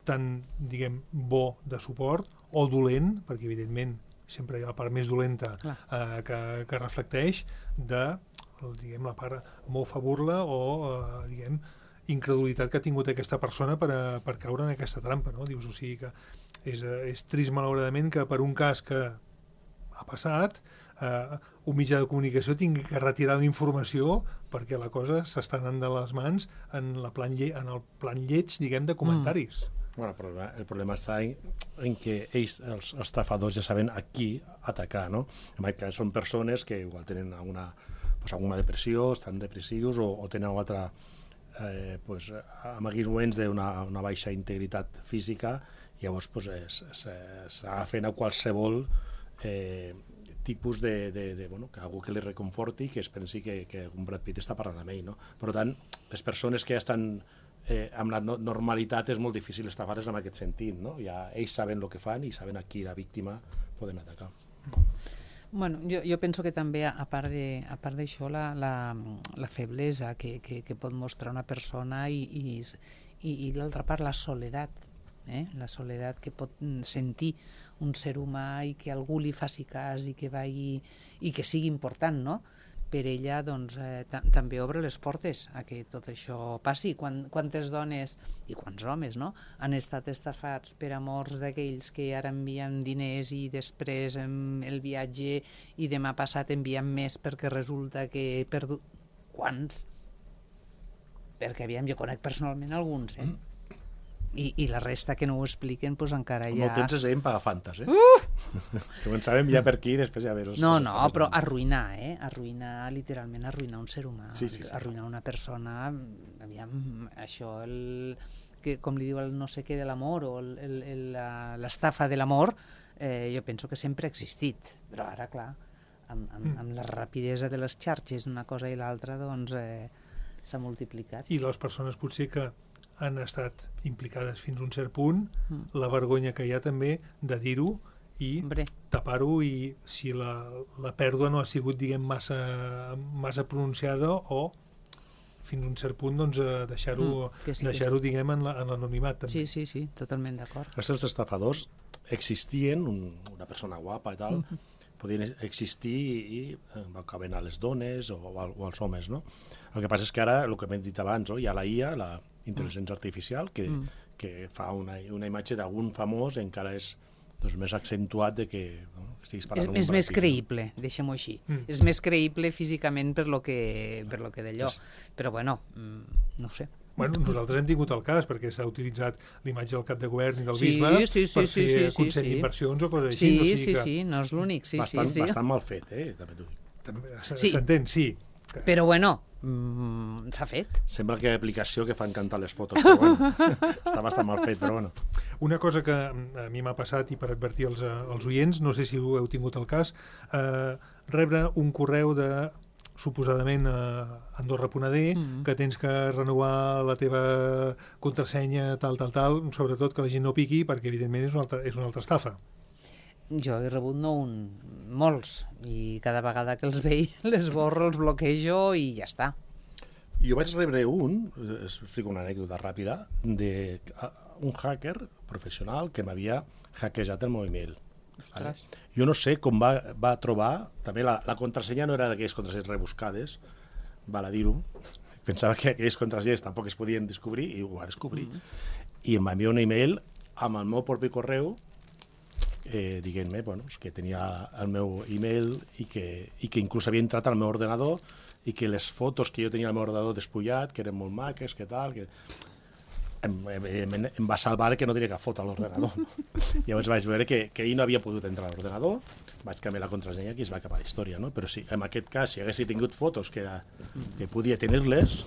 tant, diguem, bo de suport o dolent, perquè evidentment sempre hi ha la part més dolenta eh, que, que reflecteix de, diguem, la part mofa burla o, eh, diguem, incredulitat que ha tingut aquesta persona per, a, per caure en aquesta trampa, no? Dius, o sigui que és, és trist malauradament que per un cas que ha passat eh, un mitjà de comunicació tingui que retirar la informació perquè la cosa s'està anant de les mans en, la plan lle en el plan lleig, diguem, de comentaris. Mm. Bueno, el problema, el problema està en, en que ells, els estafadors, ja saben a qui atacar, no? En aquest cas són persones que igual tenen alguna, pues, alguna depressió, estan depressius o, o tenen una altra Eh, pues, amaguisments d'una una baixa integritat física, i llavors pues, s'agafen a qualsevol eh, tipus de, de, de bueno, que algú que li reconforti, que es pensi que, que un Brad Pitt està parlant amb ell, no? Per tant, les persones que ja estan eh, amb la no normalitat és molt difícil estafar-les en aquest sentit, no? Ja ells saben el que fan i saben a qui la víctima poden atacar. Bueno, jo, jo penso que també, a part de, a part d'això, la, la, la feblesa que, que, que pot mostrar una persona i, i, i, i l'altra part, la soledat, eh? La soledat que pot sentir un ser humà i que algú li faci cas i que vagi, i que sigui important, no? Per ella, doncs, eh, també obre les portes a que tot això passi. Quan, quantes dones i quants homes, no?, han estat estafats per amors d'aquells que ara envien diners i després el viatge i demà passat envien més perquè resulta que he perdut... Quants? Perquè, aviam, jo conec personalment alguns, eh? I, i la resta que no ho expliquen, doncs encara Com ja... el temps es veiem pagafantes, eh? Uh! Començàvem ja per aquí i després ja veure... No, no, però arruïnar, eh? Arruïnar, literalment arruïnar un ser humà, sí, sí, sí. Arruïnar una persona, aviam, això, el, que, com li diu el no sé què de l'amor o l'estafa de l'amor, eh, jo penso que sempre ha existit, però ara, clar, amb, amb, amb la rapidesa de les xarxes, una cosa i l'altra, doncs eh, s'ha multiplicat. I les persones potser que han estat implicades fins a un cert punt, mm. la vergonya que hi ha també de dir-ho i Hombre. tapar-ho, i si la, la pèrdua no ha sigut, diguem, massa, massa pronunciada, o fins a un cert punt doncs, deixar-ho, mm, sí, deixar-ho sí. diguem, en l'anonimat. També. Sí, sí, sí, totalment d'acord. Els estafadors existien, un, una persona guapa i tal, mm-hmm. podien existir i, i acaben a les dones o, o als homes, no? El que passa és que ara, el que hem dit abans, no? Hi ha la I A, la intel·ligència mm. artificial, que, mm. que fa una, una imatge d'algun famós, encara és doncs, més accentuat de que no, estiguis parlant... És, és més creïble, deixem-ho així. Mm. És més creïble físicament per lo que, per lo que d'allò. És... Però bueno, no ho sé. Bueno, nosaltres hem tingut el cas, perquè s'ha utilitzat l'imatge del cap de govern i del sí, bisbe sí, sí, per sí, fer sí, sí, consell sí. d'inversions o coses així. Sí, no sigui sí, que... sí, no és l'únic. Sí, bastant, sí, sí. bastant mal fet, eh? També t'ho dic. Sí. S'entén, sí. Però bueno, mm, s'ha fet. Sembla que hi ha aplicació que fan cantar les fotos, però bueno, està bastant mal fet, però bueno. Una cosa que a mi m'ha passat, i per advertir els, els oients, no sé si ho heu tingut el cas, eh, rebre un correu de, suposadament, a Andorra punt a de, mm. que tens que renovar la teva contrasenya, tal, tal, tal, sobretot que la gent no piqui, perquè evidentment és una altra, és una altra estafa. Jo he rebut no un, molts, i cada vegada que els veig les borro, els bloquejo i ja està. Jo vaig rebre un, explico una anècdota ràpida, d'un hacker professional que m'havia hackejat el meu email. Vale? Jo no sé com va, va trobar, també la, la contrasenya no era d'aquelles contrasenyes rebuscades, val a dir-ho, pensava que aquelles contrasenyes tampoc es podien descobrir i ho va descobrir. Mm. I em va enviar un email amb el meu propi correu eh, dient-me bueno, que tenia el meu email i que, i que inclús havia entrat al meu ordenador i que les fotos que jo tenia al meu ordenador despullat, que eren molt maques, que tal... que em, em, em va salvar que no tenia cap foto a l'ordenador. Llavors vaig veure que, que ell no havia pogut entrar a l'ordenador, vaig canviar la contrasenya i es va acabar la història, no? Però sí, en aquest cas, si hagués tingut fotos que, era, que podia tenir-les,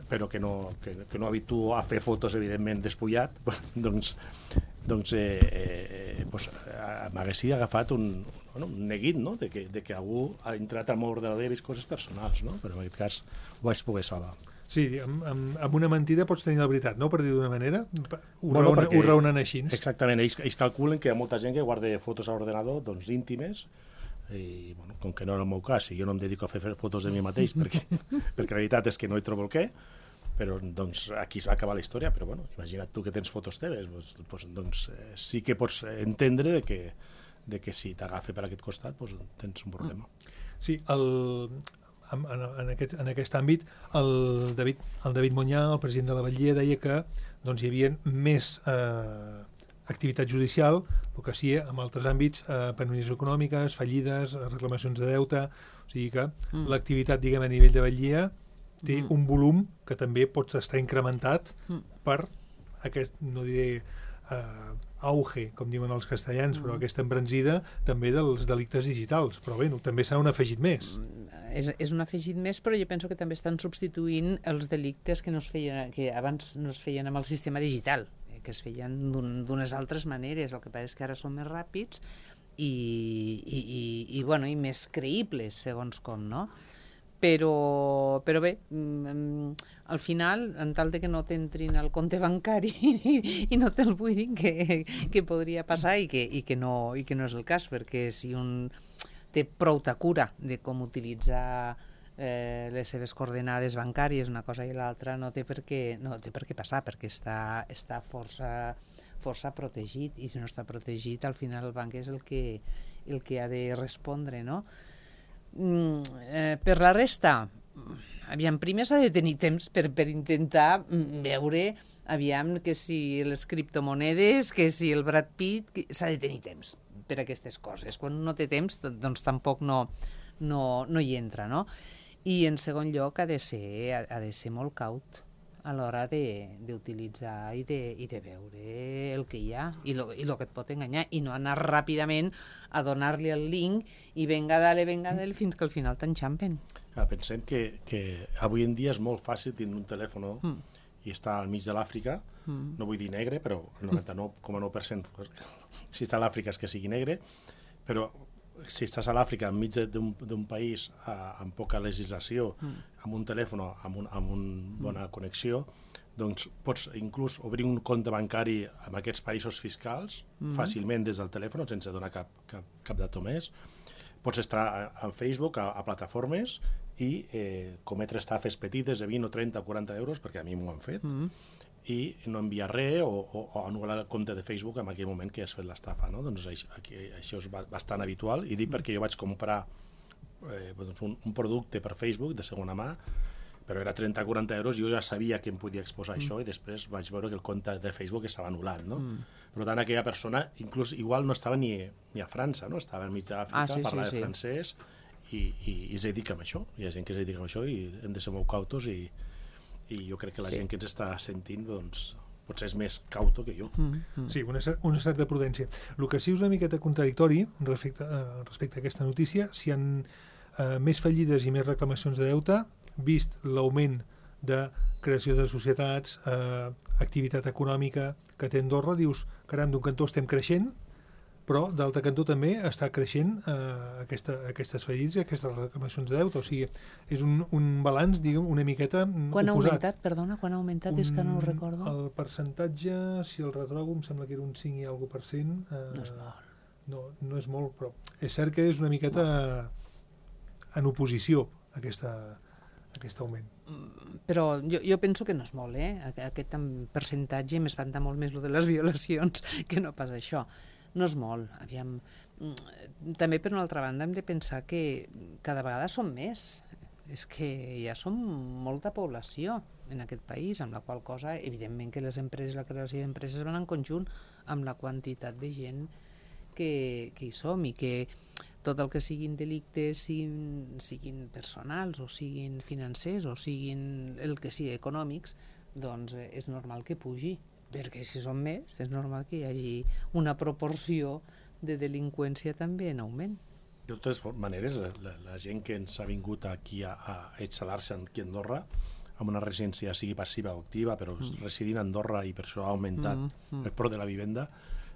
però que no, que, que no habituo a fer fotos, evidentment, despullat, doncs, doncs eh, eh, pues, m'hagués agafat un, bueno, un neguit, no? de, que, de que algú ha entrat al meu ordenador i ha vist coses personals, no? Però en aquest cas ho vaig poder salvar. Sí, amb, amb, amb una mentida pots tenir la veritat, no? Per dir d'una manera. Ho, bueno, raona, ho raonen així. Exactament, ells, ells calculen que hi ha molta gent que guarda fotos a l'ordenador, doncs íntimes, i bueno, com que no era el meu cas, i jo no em dedico a fer fotos de mi mateix, perquè, perquè la veritat és que no hi trobo el què, però doncs, aquí es va acabar la història, però bueno, imagina't tu que tens fotos teves, doncs, doncs eh, sí que pots entendre que, de que si t'agafa per aquest costat doncs, tens un problema. Sí, el... En, en, aquest, en aquest àmbit, el David, el David Monyà, el president de la Batllia, deia que doncs, hi havia més eh, activitat judicial, el que sí, en altres àmbits, eh, penúries econòmiques, fallides, reclamacions de deute, o sigui que mm. l'activitat, diguem, a nivell de Batllia té mm. un volum que també pot estar incrementat mm. per aquest, no diré eh, auge, com diuen els castellans, mm. però aquesta embranzida també dels delictes digitals, però bé, no, també s'han afegit més. És, és un afegit més, però jo penso que també estan substituint els delictes que, no es feien, que abans no es feien amb el sistema digital, que es feien d'unes altres maneres. El que passa és que ara són més ràpids i, i, i, i, bueno, i més creïbles, segons com, no? Però, però bé, al final, en tal de que no t'entrin al compte bancari i no te'l buidin, que, que podria passar i que, i, que no, i que no és el cas, perquè si un té prou cura de com utilitzar eh, les seves coordenades bancàries, una cosa i l'altra, no té per què, no té per què passar, perquè està, està força, força protegit, i si no està protegit, al final el banc és el que, el que ha de respondre, no? Mm, eh, per la resta, aviam, primer s'ha de tenir temps per, per intentar veure, aviam, que si les criptomonedes, que si el Brad Pitt, s'ha de tenir temps per aquestes coses. Quan no té temps, doncs tampoc no, no, no hi entra, no? I en segon lloc ha de ser, ha de ser molt caut a l'hora d'utilitzar i, de, i de veure el que hi ha i el que et pot enganyar, i no anar ràpidament a donar-li el link i venga dale, venga dale, fins que al final t'enxampen. Ah, pensem que, que avui en dia és molt fàcil tindre un telèfon mm. i està al mig de l'Àfrica, mm. no vull dir negre, però el noranta-nou coma nou per cent si està a l'Àfrica és que sigui negre, però si estàs a l'Àfrica enmig d'un país uh, amb poca legislació, mm. amb un telèfon, amb, un, amb una bona mm. connexió, doncs pots inclús obrir un compte bancari en aquests països fiscals mm. fàcilment des del telèfon, sense donar cap, cap, cap dato més. Pots estar a, a Facebook, a, a plataformes, i eh, cometre estafes petites de vint o trenta o quaranta euros, perquè a mi m'ho han fet, mm. i no enviar res o, o, o anul·lar el compte de Facebook en aquell moment que has fet l'estafa. No? Doncs això, aquí, això és bastant habitual, i dic perquè jo vaig comprar eh, doncs un, un producte per Facebook de segona mà, però era trenta o quaranta euros, jo ja sabia que em podia exposar mm. això, i després vaig veure que el compte de Facebook estava anul·lat. No? Mm. Per tant, aquella persona, inclús igual no estava ni, ni a França, no? Estava enmig d'Àfrica, ah, sí, parlava sí, de francès, sí. I, i, i es dedica a això, hi ha gent que es dedica a això i hem de ser molt cautos, i, i jo crec que la sí. gent que ens està sentint doncs, potser és més cauto que jo. Mm, mm. Sí, una, una certa prudència. El que sí és una miqueta contradictori respecte, uh, respecte a aquesta notícia, si hi ha uh, més fallides i més reclamacions de deute, vist l'augment de creació de societats, uh, activitat econòmica que té Andorra, dius, caram, d'un cantó estem creixent, però d'altre cantó també està creixent eh, aquesta, aquestes fallides i aquestes reclamacions de deute. O sigui, és un, un balanç, diguem, una miqueta quan oposat. Quan ha augmentat, perdona, quan ha augmentat? Un, és que no ho recordo. El percentatge, si el retrobo, em sembla que era un cinc i alguna per cent. Eh, no és molt. No, no és molt, però és cert que és una miqueta en oposició a aquesta, a aquest augment. Però jo, jo penso que no és molt, eh? Aquest percentatge m'espanta molt més el de les violacions que no pas això. No és molt, aviam. També, per una altra banda, hem de pensar que cada vegada som més. És que ja som molta població en aquest país, amb la qual cosa, evidentment que les empreses, la creació d'empreses van en conjunt amb la quantitat de gent que, que hi som, i que tot el que siguin delictes, siguin, siguin personals, o siguin financers, o siguin el que sigui econòmics, doncs és normal que pugi. Perquè si són més, és normal que hi hagi una proporció de delinqüència també en augment. De totes maneres, la, la, la gent que ens ha vingut aquí a, a instal·lar-se aquí a Andorra, amb una residència sigui passiva o activa, però mm. residint a Andorra, i per això ha augmentat mm, mm. el preu de la vivenda,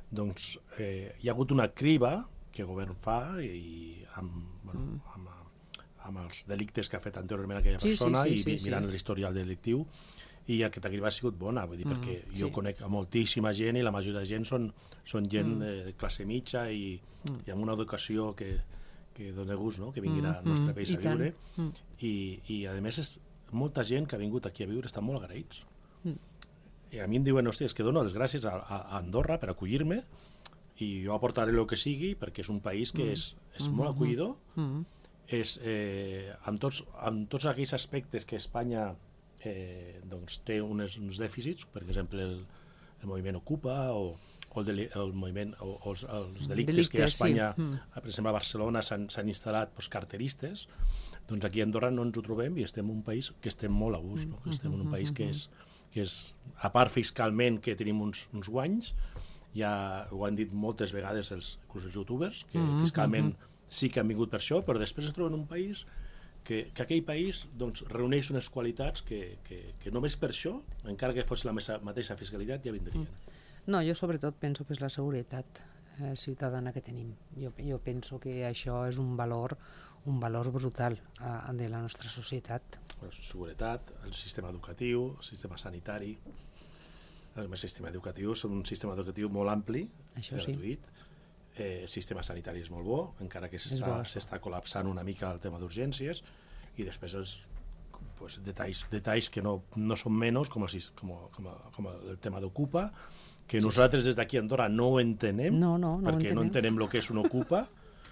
doncs eh, hi ha hagut una criba que el govern fa, i amb, bueno, mm. amb, amb els delictes que ha fet anteriorment aquella sí, persona, sí, sí, i sí, mirant sí. l'historial delictiu, i aquesta criba ha sigut bona, vull dir, mm, perquè jo sí. conec a moltíssima gent, i la majoria de gent són, són gent mm. de classe mitja i, mm. i amb una educació que, que dona gust, no? Que vinguin mm. al nostre país mm. a viure, mm. i, i a més és molta gent que ha vingut aquí a viure estan molt agraïts. Mm. I a mi em diuen, hòstia, és que dono les gràcies a, a Andorra per acollir-me, i jo aportaré el que sigui, perquè és un país que mm. és, és mm. molt acollidor, mm. és, eh, amb, tots, amb tots aquells aspectes que Espanya Eh, doncs té unes, uns dèficits, per exemple el, el moviment Ocupa, o, o el, deli, el moviment o, o els, els delictes, delictes que a Espanya, sí. mm. per exemple a Barcelona s'han instal·lat doncs, carteristes, doncs aquí a Andorra no ens ho trobem, i estem en un país que estem molt a gust, no? Que estem en un país que és, que és a part fiscalment que tenim uns, uns guanys, ja ho han dit moltes vegades els, els youtubers, que mm. fiscalment sí que han vingut per això, però després es troben en un país que, que aquell país doncs, reuneix unes qualitats que, que, que només per això, encara que fos la mateixa fiscalitat, ja vindrien. No, jo sobretot penso que és la seguretat eh, ciutadana que tenim. Jo, jo penso que això és un valor, un valor brutal a, de la nostra societat. La seguretat, el sistema educatiu, el sistema sanitari. El sistema educatiu és un sistema educatiu molt ampli, això gratuït. Sí. Eh, el sistema sanitari és molt bo, encara que s'està col·lapsant una mica el tema d'urgències, i després els pues, detalls, detalls que no, no són menys, com el, com, com, com el tema d'Ocupa, que sí. nosaltres des d'aquí a Andorra no ho entenem, no, no, no perquè entenem. no entenem el que és una Ocupa,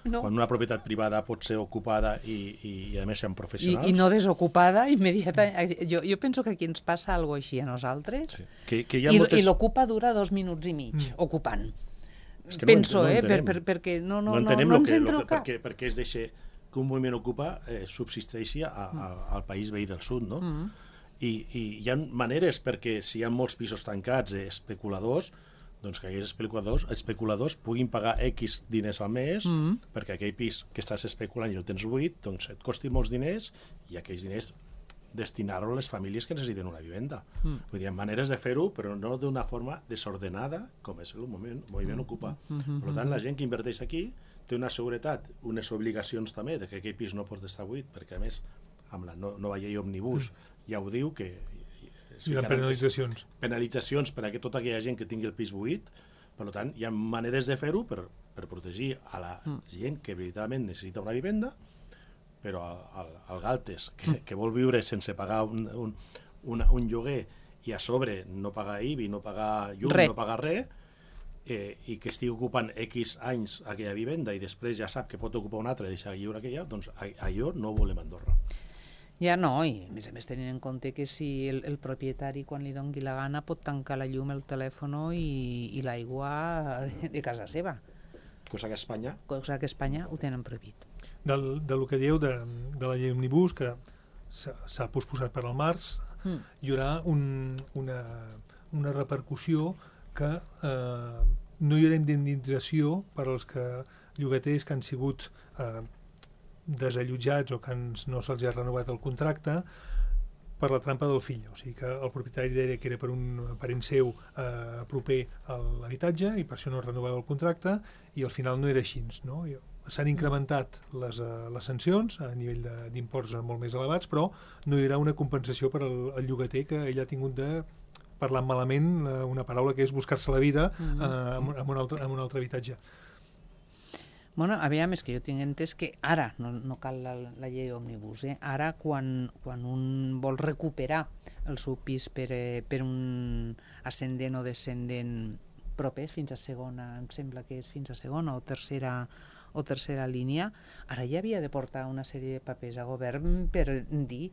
no. Quan una propietat privada pot ser ocupada i, i, i a més són professionals. I, i no desocupada immediata. Jo, jo penso que aquí ens passa alguna cosa així a nosaltres, sí. que, que hi ha I, moltes... i l'ocupa dura dos minuts i mig, mm. ocupant. És que penso, no, no eh, per, per, perquè no, no, no, entenem no, no lo que, ens entra lo el que, cap. perquè, perquè es deixa que un moviment Ocupa eh, subsisteixi a, a, al país veí del sud, no? Mm. I, I hi ha maneres perquè si hi ha molts pisos tancats, eh, especuladors, doncs que aquells especuladors, especuladors puguin pagar X diners al mes, mm. perquè aquell pis que estàs especulant i el tens buit, doncs et costi molts diners, i aquells diners destinar-ho a les famílies que necessiten una vivenda. Mm. Vull dir, hi ha maneres de fer-ho, però no d'una forma desordenada, com és el moment, moviment mm. Ocupa. Mm -hmm. Per tant, la gent que inverteix aquí té una seguretat, unes obligacions també, de que aquell pis no pot estar buit, perquè a més, amb la nova llei òmnibus ja ho diu, que hi ha penalitzacions. Penalitzacions per a que tota aquella gent que tingui el pis buit. Per tant, hi ha maneres de fer-ho per, per protegir a la gent que veritablement necessita una vivenda, però al, al Galtes, que, que vol viure sense pagar un, un, un, un lloguer i a sobre no pagar I B I, no pagar llum, Re. no pagar res, eh, i que estigui ocupant X anys aquella vivenda i després ja sap que pot ocupar una altra i deixar lliure aquella, doncs allò no ho volem a Andorra. Ja no, i a més a més tenint en compte que si el, el propietari quan li doni la gana pot tancar la llum, el telèfon i, i l'aigua de, de casa seva. Cosa que a Espanya... Cosa que a Espanya ho tenen prohibit. Del, de lo que dieu de, de la llei Omnibus, que s'ha posposat per al març, mm. hi haurà un, una, una repercussió que eh, no hi haurà indemnització per als que llogaters que han sigut eh, desallotjats o que no se'ls ha renovat el contracte per la trampa del fill. O sigui que el propietari deia que era per un parent seu eh, proper a l'habitatge i per això no renovava el contracte i al final no era així, no? S'han incrementat les, uh, les sancions a nivell d'imports molt més elevats, però no hi haurà una compensació per al, al llogater que ell ha tingut de parlar malament, uh, una paraula que és buscar-se la vida uh, amb, amb, un altre, amb un altre habitatge. Bueno, aviam, és que jo tinc entès que ara, no, no cal la, la llei òmnibus, eh? Ara quan, quan un vol recuperar el seu pis per, eh, per un ascendent o descendent proper, fins a segona, em sembla que és fins a segona o tercera o tercera línia, ara ja havia de portar una sèrie de papers a govern per dir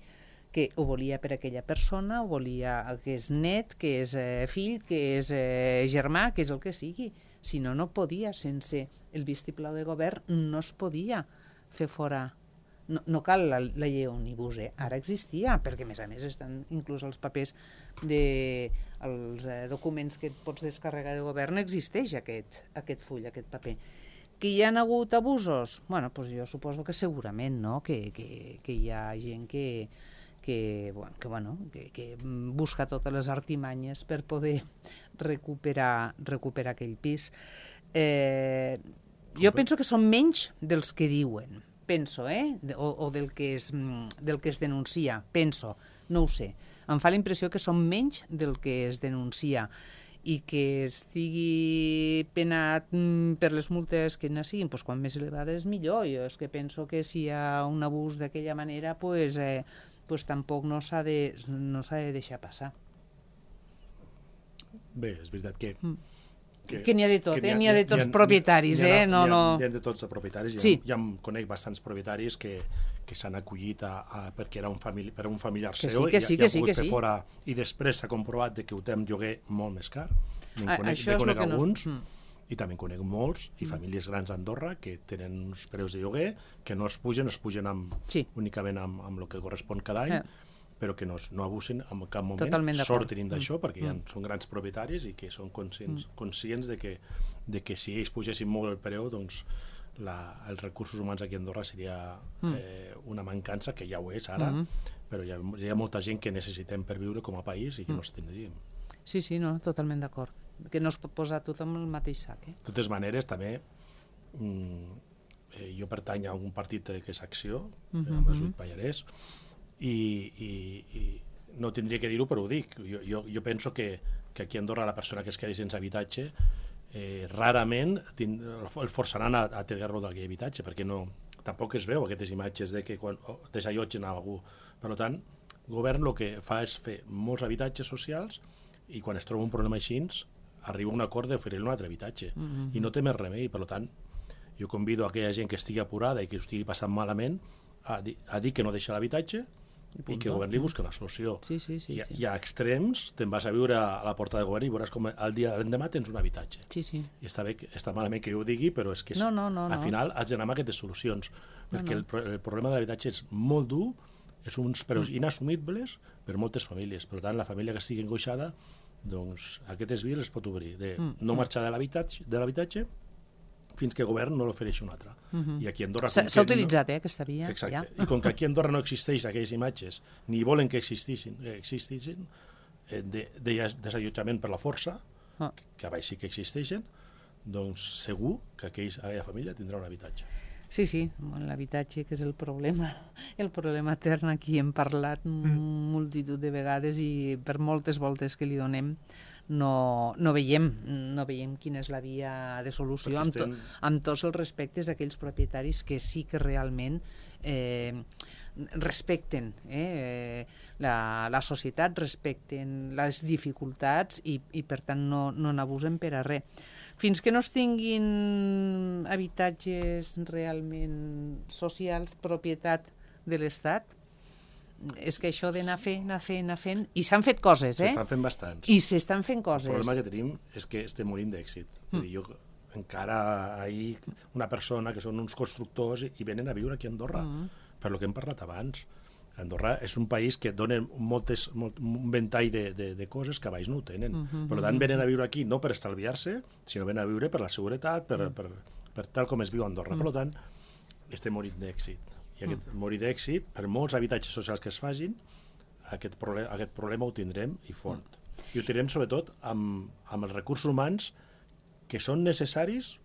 que ho volia per aquella persona, ho volia que és net, que és eh, fill, que és eh, germà, que és el que sigui. Si no, no podia, sense el vistiplau de govern no es podia fer fora. No, no cal la, la llei òmnibus, eh? Ara existia, perquè a més a més estan inclús els papers de els eh, documents que et pots descarregar de govern, existeix aquest, aquest full, aquest paper. Que hi ha hagut abusos? Bueno, doncs jo suposo que segurament, no? Que, que, que hi ha gent que, que, bueno, que, bueno, que, que busca totes les artimanyes per poder recuperar, recuperar aquell pis. Eh, jo penso que són menys dels que diuen, penso, eh? O, o del, que es, del que es denuncia, penso, no ho sé. Em fa la impressió que són menys del que es denuncia i que estigui penat per les multes que siguin, doncs quan més elevades millor. Jo és que penso que si hi ha un abús d'aquella manera, pues, eh, pues tampoc no s'ha de, no s'ha de deixar passar. Bé, és veritat que... Mm. Que, que n'hi ha de tot, eh? N'hi ha de tots ha, propietaris, ha, eh? No, ha, no... N'hi ha de tots els propietaris. Sí. Ja, ja em conec bastants propietaris que, que s'han acollit a, a, perquè era un, famili, per un familiar que seu sí, que sí, i, que i sí, ha pogut que fer sí. fora, i després s'ha comprovat de que ho té amb lloguer molt més car. A, conec, això és conec el que alguns, no... Mm. i també conec molts, i famílies grans a Andorra que tenen uns preus de lloguer que no es pugen, es pugen amb, sí. únicament amb, amb el que correspon cada any, eh. però que no, no abusen en cap moment, sortin d'això, mm. perquè ja mm. són grans propietaris i que són conscients, mm. conscients de, que, de que si ells pugessin molt el preu, doncs la, els recursos humans aquí a Andorra seria mm. eh, una mancança, que ja ho és ara, mm. però hi ha, hi ha molta gent que necessitem per viure com a país i que mm. no es tindríem. Sí, sí, no, totalment d'acord. Que no es pot posar tothom el mateix sac. Eh? De totes maneres, també, mm, eh, jo pertany a un partit que és Acció, mm -hmm. amb l'Ajunt Pallarès, I, i, i no tindria que dir-ho, però ho dic. Jo, jo, jo penso que, que aquí a Andorra la persona que es quedi sense habitatge eh, rarament tind, el forçaran a, a treure-lo d'aquell habitatge, perquè no, tampoc es veu aquestes imatges de que quan oh, desallotgen a algú. Per tant, el govern el que fa és fer molts habitatges socials i quan es troba un problema així arriba a un acord d'oferir-li un altre habitatge mm-hmm. i no té més remei. Per tant, jo convido a aquella gent que estigui apurada i que ho estigui passant malament a dir, a dir que no deixa l'habitatge i, i que el govern li busca una solució. Sí, sí, sí, hi, ha, sí. hi ha extrems, te'n vas a viure a la porta del govern i veuràs com el dia l'endemà tens un habitatge. Sí, sí. I està, bé, està malament que jo ho digui, però és que és, no, no, no, al no. final has d'anar amb aquestes solucions, perquè no, no. El, el problema de l'habitatge és molt dur, és uns preus mm. inassumibles per moltes famílies. Per tant, la família que estigui angoixada, doncs aquestes vies es pot obrir, de mm. no marxar de l'habitatge, de l'habitatge fins que el govern no l'ofereixi un altre. Uh-huh. I aquí a Andorra... S'ha utilitzat, no... eh, aquesta via. Exacte. Ja. I com que aquí a Andorra no existeix aquelles imatges, ni volen que existissin, eh, existissin eh, de, de desallotjament per la força, uh. que, que a baix sí que existeixen, doncs segur que aquells, aquella família tindrà un habitatge. Sí, sí, l'habitatge, que és el problema, el problema etern. Aquí hem parlat mm. multitud de vegades i per moltes voltes que li donem no, no veiem no veiem quina és la via de solució, amb, to, amb tots els respectes d'aquells propietaris que sí que realment eh, respecten eh, la, la societat, respecten les dificultats i, i per tant no, no n'abusen per a res. Fins que no es tinguin habitatges realment socials, propietat de l'Estat, és que això d'anar fent, anar fent, anar fent... I s'han fet coses, eh? S'estan fent bastants. I s'estan fent coses. El problema que tenim és que estem morint d'èxit. Mm. Jo encara ahir una persona que són uns constructors i venen a viure aquí a Andorra, mm. per lo que hem parlat abans. Andorra és un país que dona moltes, molt, un ventall de, de, de coses que a baix no ho tenen. Mm -hmm. Per tant, venen a viure aquí no per estalviar-se, sinó venen a viure per la seguretat, per, mm. per, per tal com es viu a Andorra. Mm. Per tant, estem morint d'èxit. I aquest mm. morir d'èxit, per molts habitatges socials que es facin, aquest, problema, aquest problema ho tindrem i fort. Mm. I ho tindrem sobretot amb, amb els recursos humans que són necessaris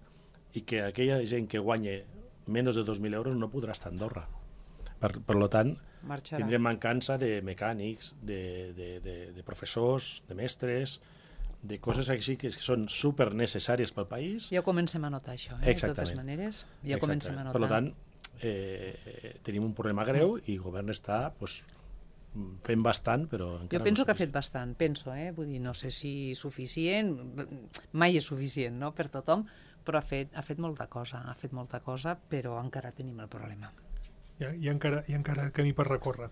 i que aquella gent que guanya menys de dos mil euros no podrà estar a Andorra. Per, per tant, marxarà. Tindrem mancança de mecànics, de, de, de, de professors, de mestres, de coses així que són super necessàries pel país. Ja comencem a notar això, eh? De totes maneres. Ja comencem a notar. Per tant, eh, tenim un problema greu i el govern està pues, fent bastant, però encara jo penso no que ha fet bastant, penso, eh? Vull dir, no sé si suficient, mai és suficient, no?, per tothom, però ha fet, ha fet molta cosa, ha fet molta cosa, però encara tenim el problema. Hi ha, hi ha, encara, hi ha encara camí per recórrer.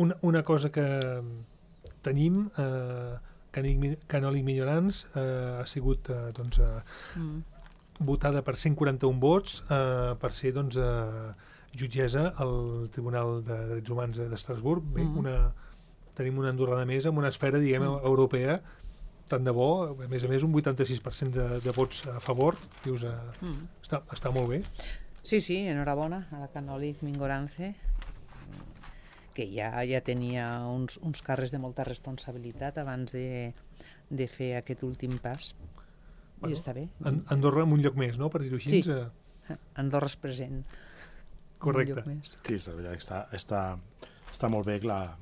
Una, una cosa que tenim, eh, Canòlig Millorans, eh, ha sigut eh, doncs, eh, mm. votada per cent quaranta-un vots eh, per ser doncs, eh, jutgessa al Tribunal de Drets Humans d'Estrasburg. Bé, mm. una, tenim una andorrana més amb una esfera, diguem, mm. europea, tant de bo, a més a més un vuitanta-sis per cent de, de vots a favor. Dius, eh, mm. està, està molt bé. Sí, sí, enhorabona a la Canòlig Mingorance, que ja ja tenia uns, uns càrrecs de molta responsabilitat abans de, de fer aquest últim pas. Bueno, I està bé. Andorra en un lloc més, no?, per dir-ho així. Sí, eh... Andorra és present. Correcte. Sí, és veritat, està, està, està molt bé que, la,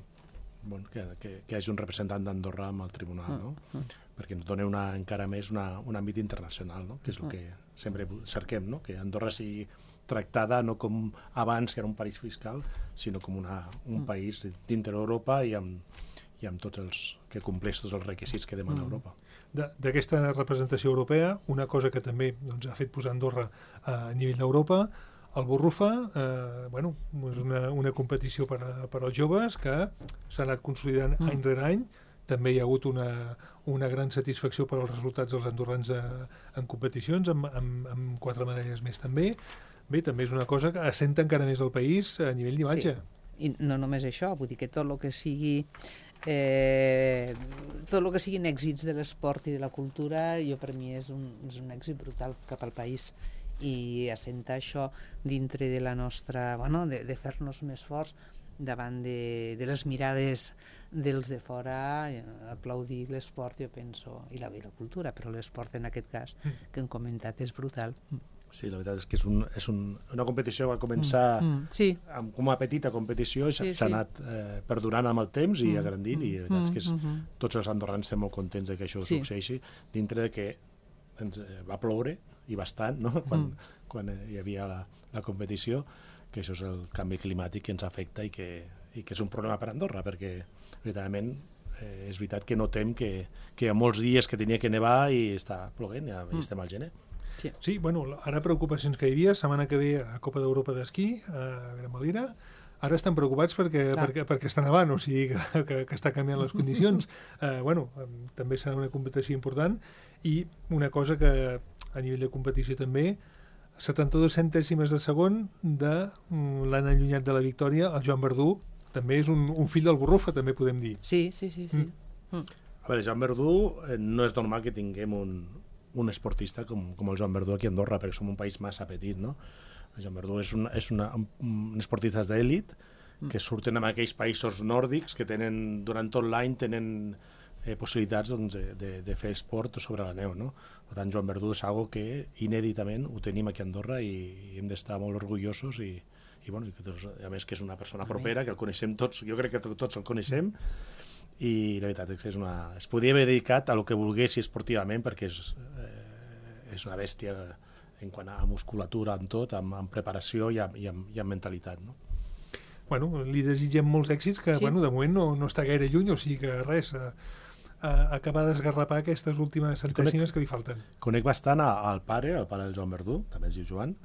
bueno, que, que, que hi hagi un representant d'Andorra amb el tribunal, mm. no? Mm. perquè ens dona una, encara més una, un àmbit internacional, no? Que és el que sempre cerquem, no? Que Andorra sigui tractada no com abans, que era un país fiscal, sinó com una, un mm. país dintre d'Europa i amb, i amb tots els que compleix tots els requisits que demana mm. Europa. D'aquesta representació europea, una cosa que també doncs, ha fet posar Andorra a nivell d'Europa, el Borrufa, eh, bueno, és una, una competició per, a, per als joves que s'ha anat consolidant mm. any rere any. També hi ha hagut una, una gran satisfacció per als resultats dels andorrans a, en competicions, amb, amb, amb quatre medalles més també. Bé, també és una cosa que assenta encara més el país a nivell d'imatge. Sí. I no només això, vull dir que tot el que sigui eh, tot el que siguin èxits de l'esport i de la cultura, jo per mi és un, és un èxit brutal cap al país, i assentar això dintre de la nostra, bueno, de, de fer-nos més forts davant de, de les mirades dels de fora, aplaudir l'esport, jo penso, i la, i la cultura, però l'esport en aquest cas, que hem comentat, és brutal. Sí, la veritat és que és, un, és un, una competició que va començar mm, mm, sí. amb, com una petita competició i s'ha sí, sí. anat eh, perdurant amb el temps i mm, agrandint, mm, i la veritat és que és, mm, tots els andorrans estem molt contents de que això sí. succeeixi, dintre de que ens eh, va ploure, i bastant, no? quan, mm. quan hi havia la, la competició, que això és el canvi climàtic que ens afecta i que, i que és un problema per Andorra, perquè veritablement eh, és veritat que notem que, que hi ha molts dies que tenia que nevar i està ploguent, ja mm. estem al gener. Sí. sí, bueno, ara preocupacions que hi havia, setmana que ve a Copa d'Europa d'esquí, a Gramalira, ara estan preocupats perquè, perquè, perquè està nevant, o sigui que, que, que està canviant les condicions. eh, bueno, també serà una competició important, i una cosa que a nivell de competició també, setanta-dos centèsimes de segon de l'any allunyat de la victòria, el Joan Verdú, també és un, un fill del Borrufa, també podem dir. Sí, sí, sí. sí. Mm. A veure, Joan Verdú, eh, no és normal que tinguem un, un esportista com, com el Joan Verdú aquí a Andorra, perquè som un país massa petit, no? El Joan Verdú és, una, és una, un esportistes d'èlit que surten en aquells països nòrdics que tenen, durant tot l'any, tenen eh, possibilitats doncs, de, de, de fer esport sobre la neu, no? Per tant, Joan Verdú és algo que inèditament ho tenim aquí a Andorra i, i hem d'estar molt orgullosos i, i, bueno, i que, doncs, a més que és una persona propera, que el coneixem tots, jo crec que tots el coneixem, i la veritat és que és una... es podia haver dedicat a lo que volgués esportivament, perquè és, eh, és una bèstia en quant a musculatura, amb tot, amb, amb preparació i amb, i amb, i amb mentalitat, no? Bueno, li desitgem molts èxits, que Sí. bueno, de moment no, no està gaire lluny, o sigui que res, a, a acabar d'esgarrapar aquestes últimes centèsimes que li falten. Conec bastant a- al pare, el pare del Joan Verdú, també es diu Joan,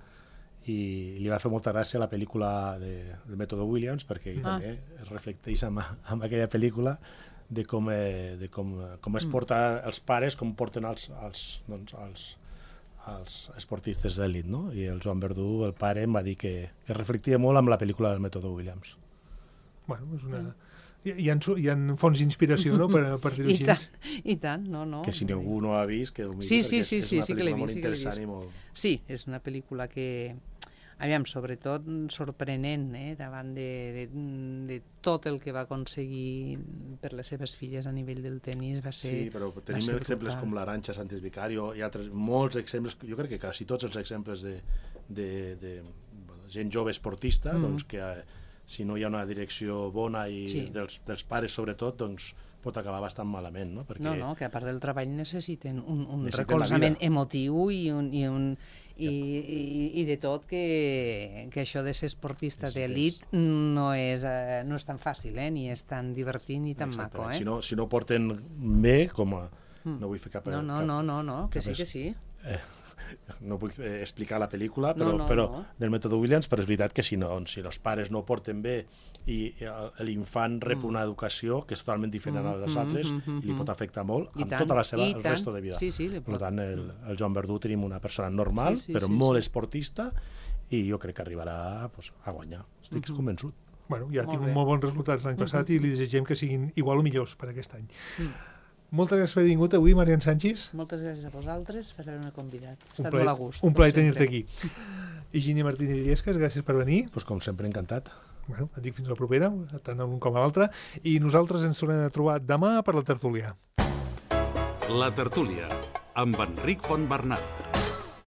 i li va fer molta gràcia la pel·lícula de, del Mètode Williams, perquè ell Ah. també es reflecteix amb, amb aquella pel·lícula de com, eh, de com, com es porta els pares, com porten els, els, doncs, els, els esportistes d'èlit, no? I el Joan Verdú, el pare, em va dir que, que reflectia molt amb la pel·lícula del Mètode Williams. Bueno, és una... Hi, hi, ha, hi ha fonts d'inspiració, no?, per, per dir-ho I així. tant, i tant, no, no. Que si ningú no ha vist, que ho miri, Sí, sí, perquè és, sí, és sí, una sí que l'he pel·lícula vist, molt sí que l'he interessant vist. i molt... Sí, és una pel·lícula que, aviam, sobretot sorprenent, eh, davant de, de, de tot el que va aconseguir per les seves filles a nivell del tennis, va ser... Sí, però va tenim ser exemples brutal. com l'Arantxa Sánchez Vicario i altres, molts exemples, jo crec que quasi tots els exemples de, de, de bueno, gent jove esportista, Mm. doncs que eh, si no hi ha una direcció bona i Sí. dels, dels pares sobretot, doncs pot acabar bastant malament, no? Perquè No, no, que a part del treball necessiten un, un Necessiten recolzament la vida. emotiu i, un, i, un, i, i, i de tot que, que això de ser esportista Necessites- d'elit no, és, eh, no és tan fàcil, eh, ni és tan divertit ni tan maco. Exactament. Eh? Si no, si no porten bé, com a... No vull fer cap... No, no, cap, no, no, no, que cap sí, es- que sí. Eh, no vull eh, explicar la pel·lícula, No, però, no, però no. del Mètode Williams, però és veritat que si, no, si els pares no porten bé i el- l'infant rep una educació que és totalment diferent a les Mm, altres mm, mm, i li pot afectar molt I amb tant, tota la seva i el tant. resto de vida. Sí, sí, li Per pot- tant, el, el Joan Verdú tenim una persona normal, Sí, sí, però sí, molt sí. esportista, i jo crec que arribarà pues, a guanyar. Estic convençut. Bueno, ja ha Molt tingut bé. molt bons resultats l'any passat i li desitgem que siguin igual o millors per aquest any. Mm. Moltes gràcies per haver vingut avui, Marian Sánchez. Moltes gràcies a vosaltres per haver-me convidat. Ha Un estat plaer, molt a gust. un com plaer sempre. tenir-te aquí. Higini Martínez Illescas, gràcies per venir. Pues, com sempre, encantat. Bueno, et dic fins a la propera, tant a un com a l'altre. I nosaltres ens tornem a trobar demà per la tertúlia. La tertúlia, amb Enric Fontbernat.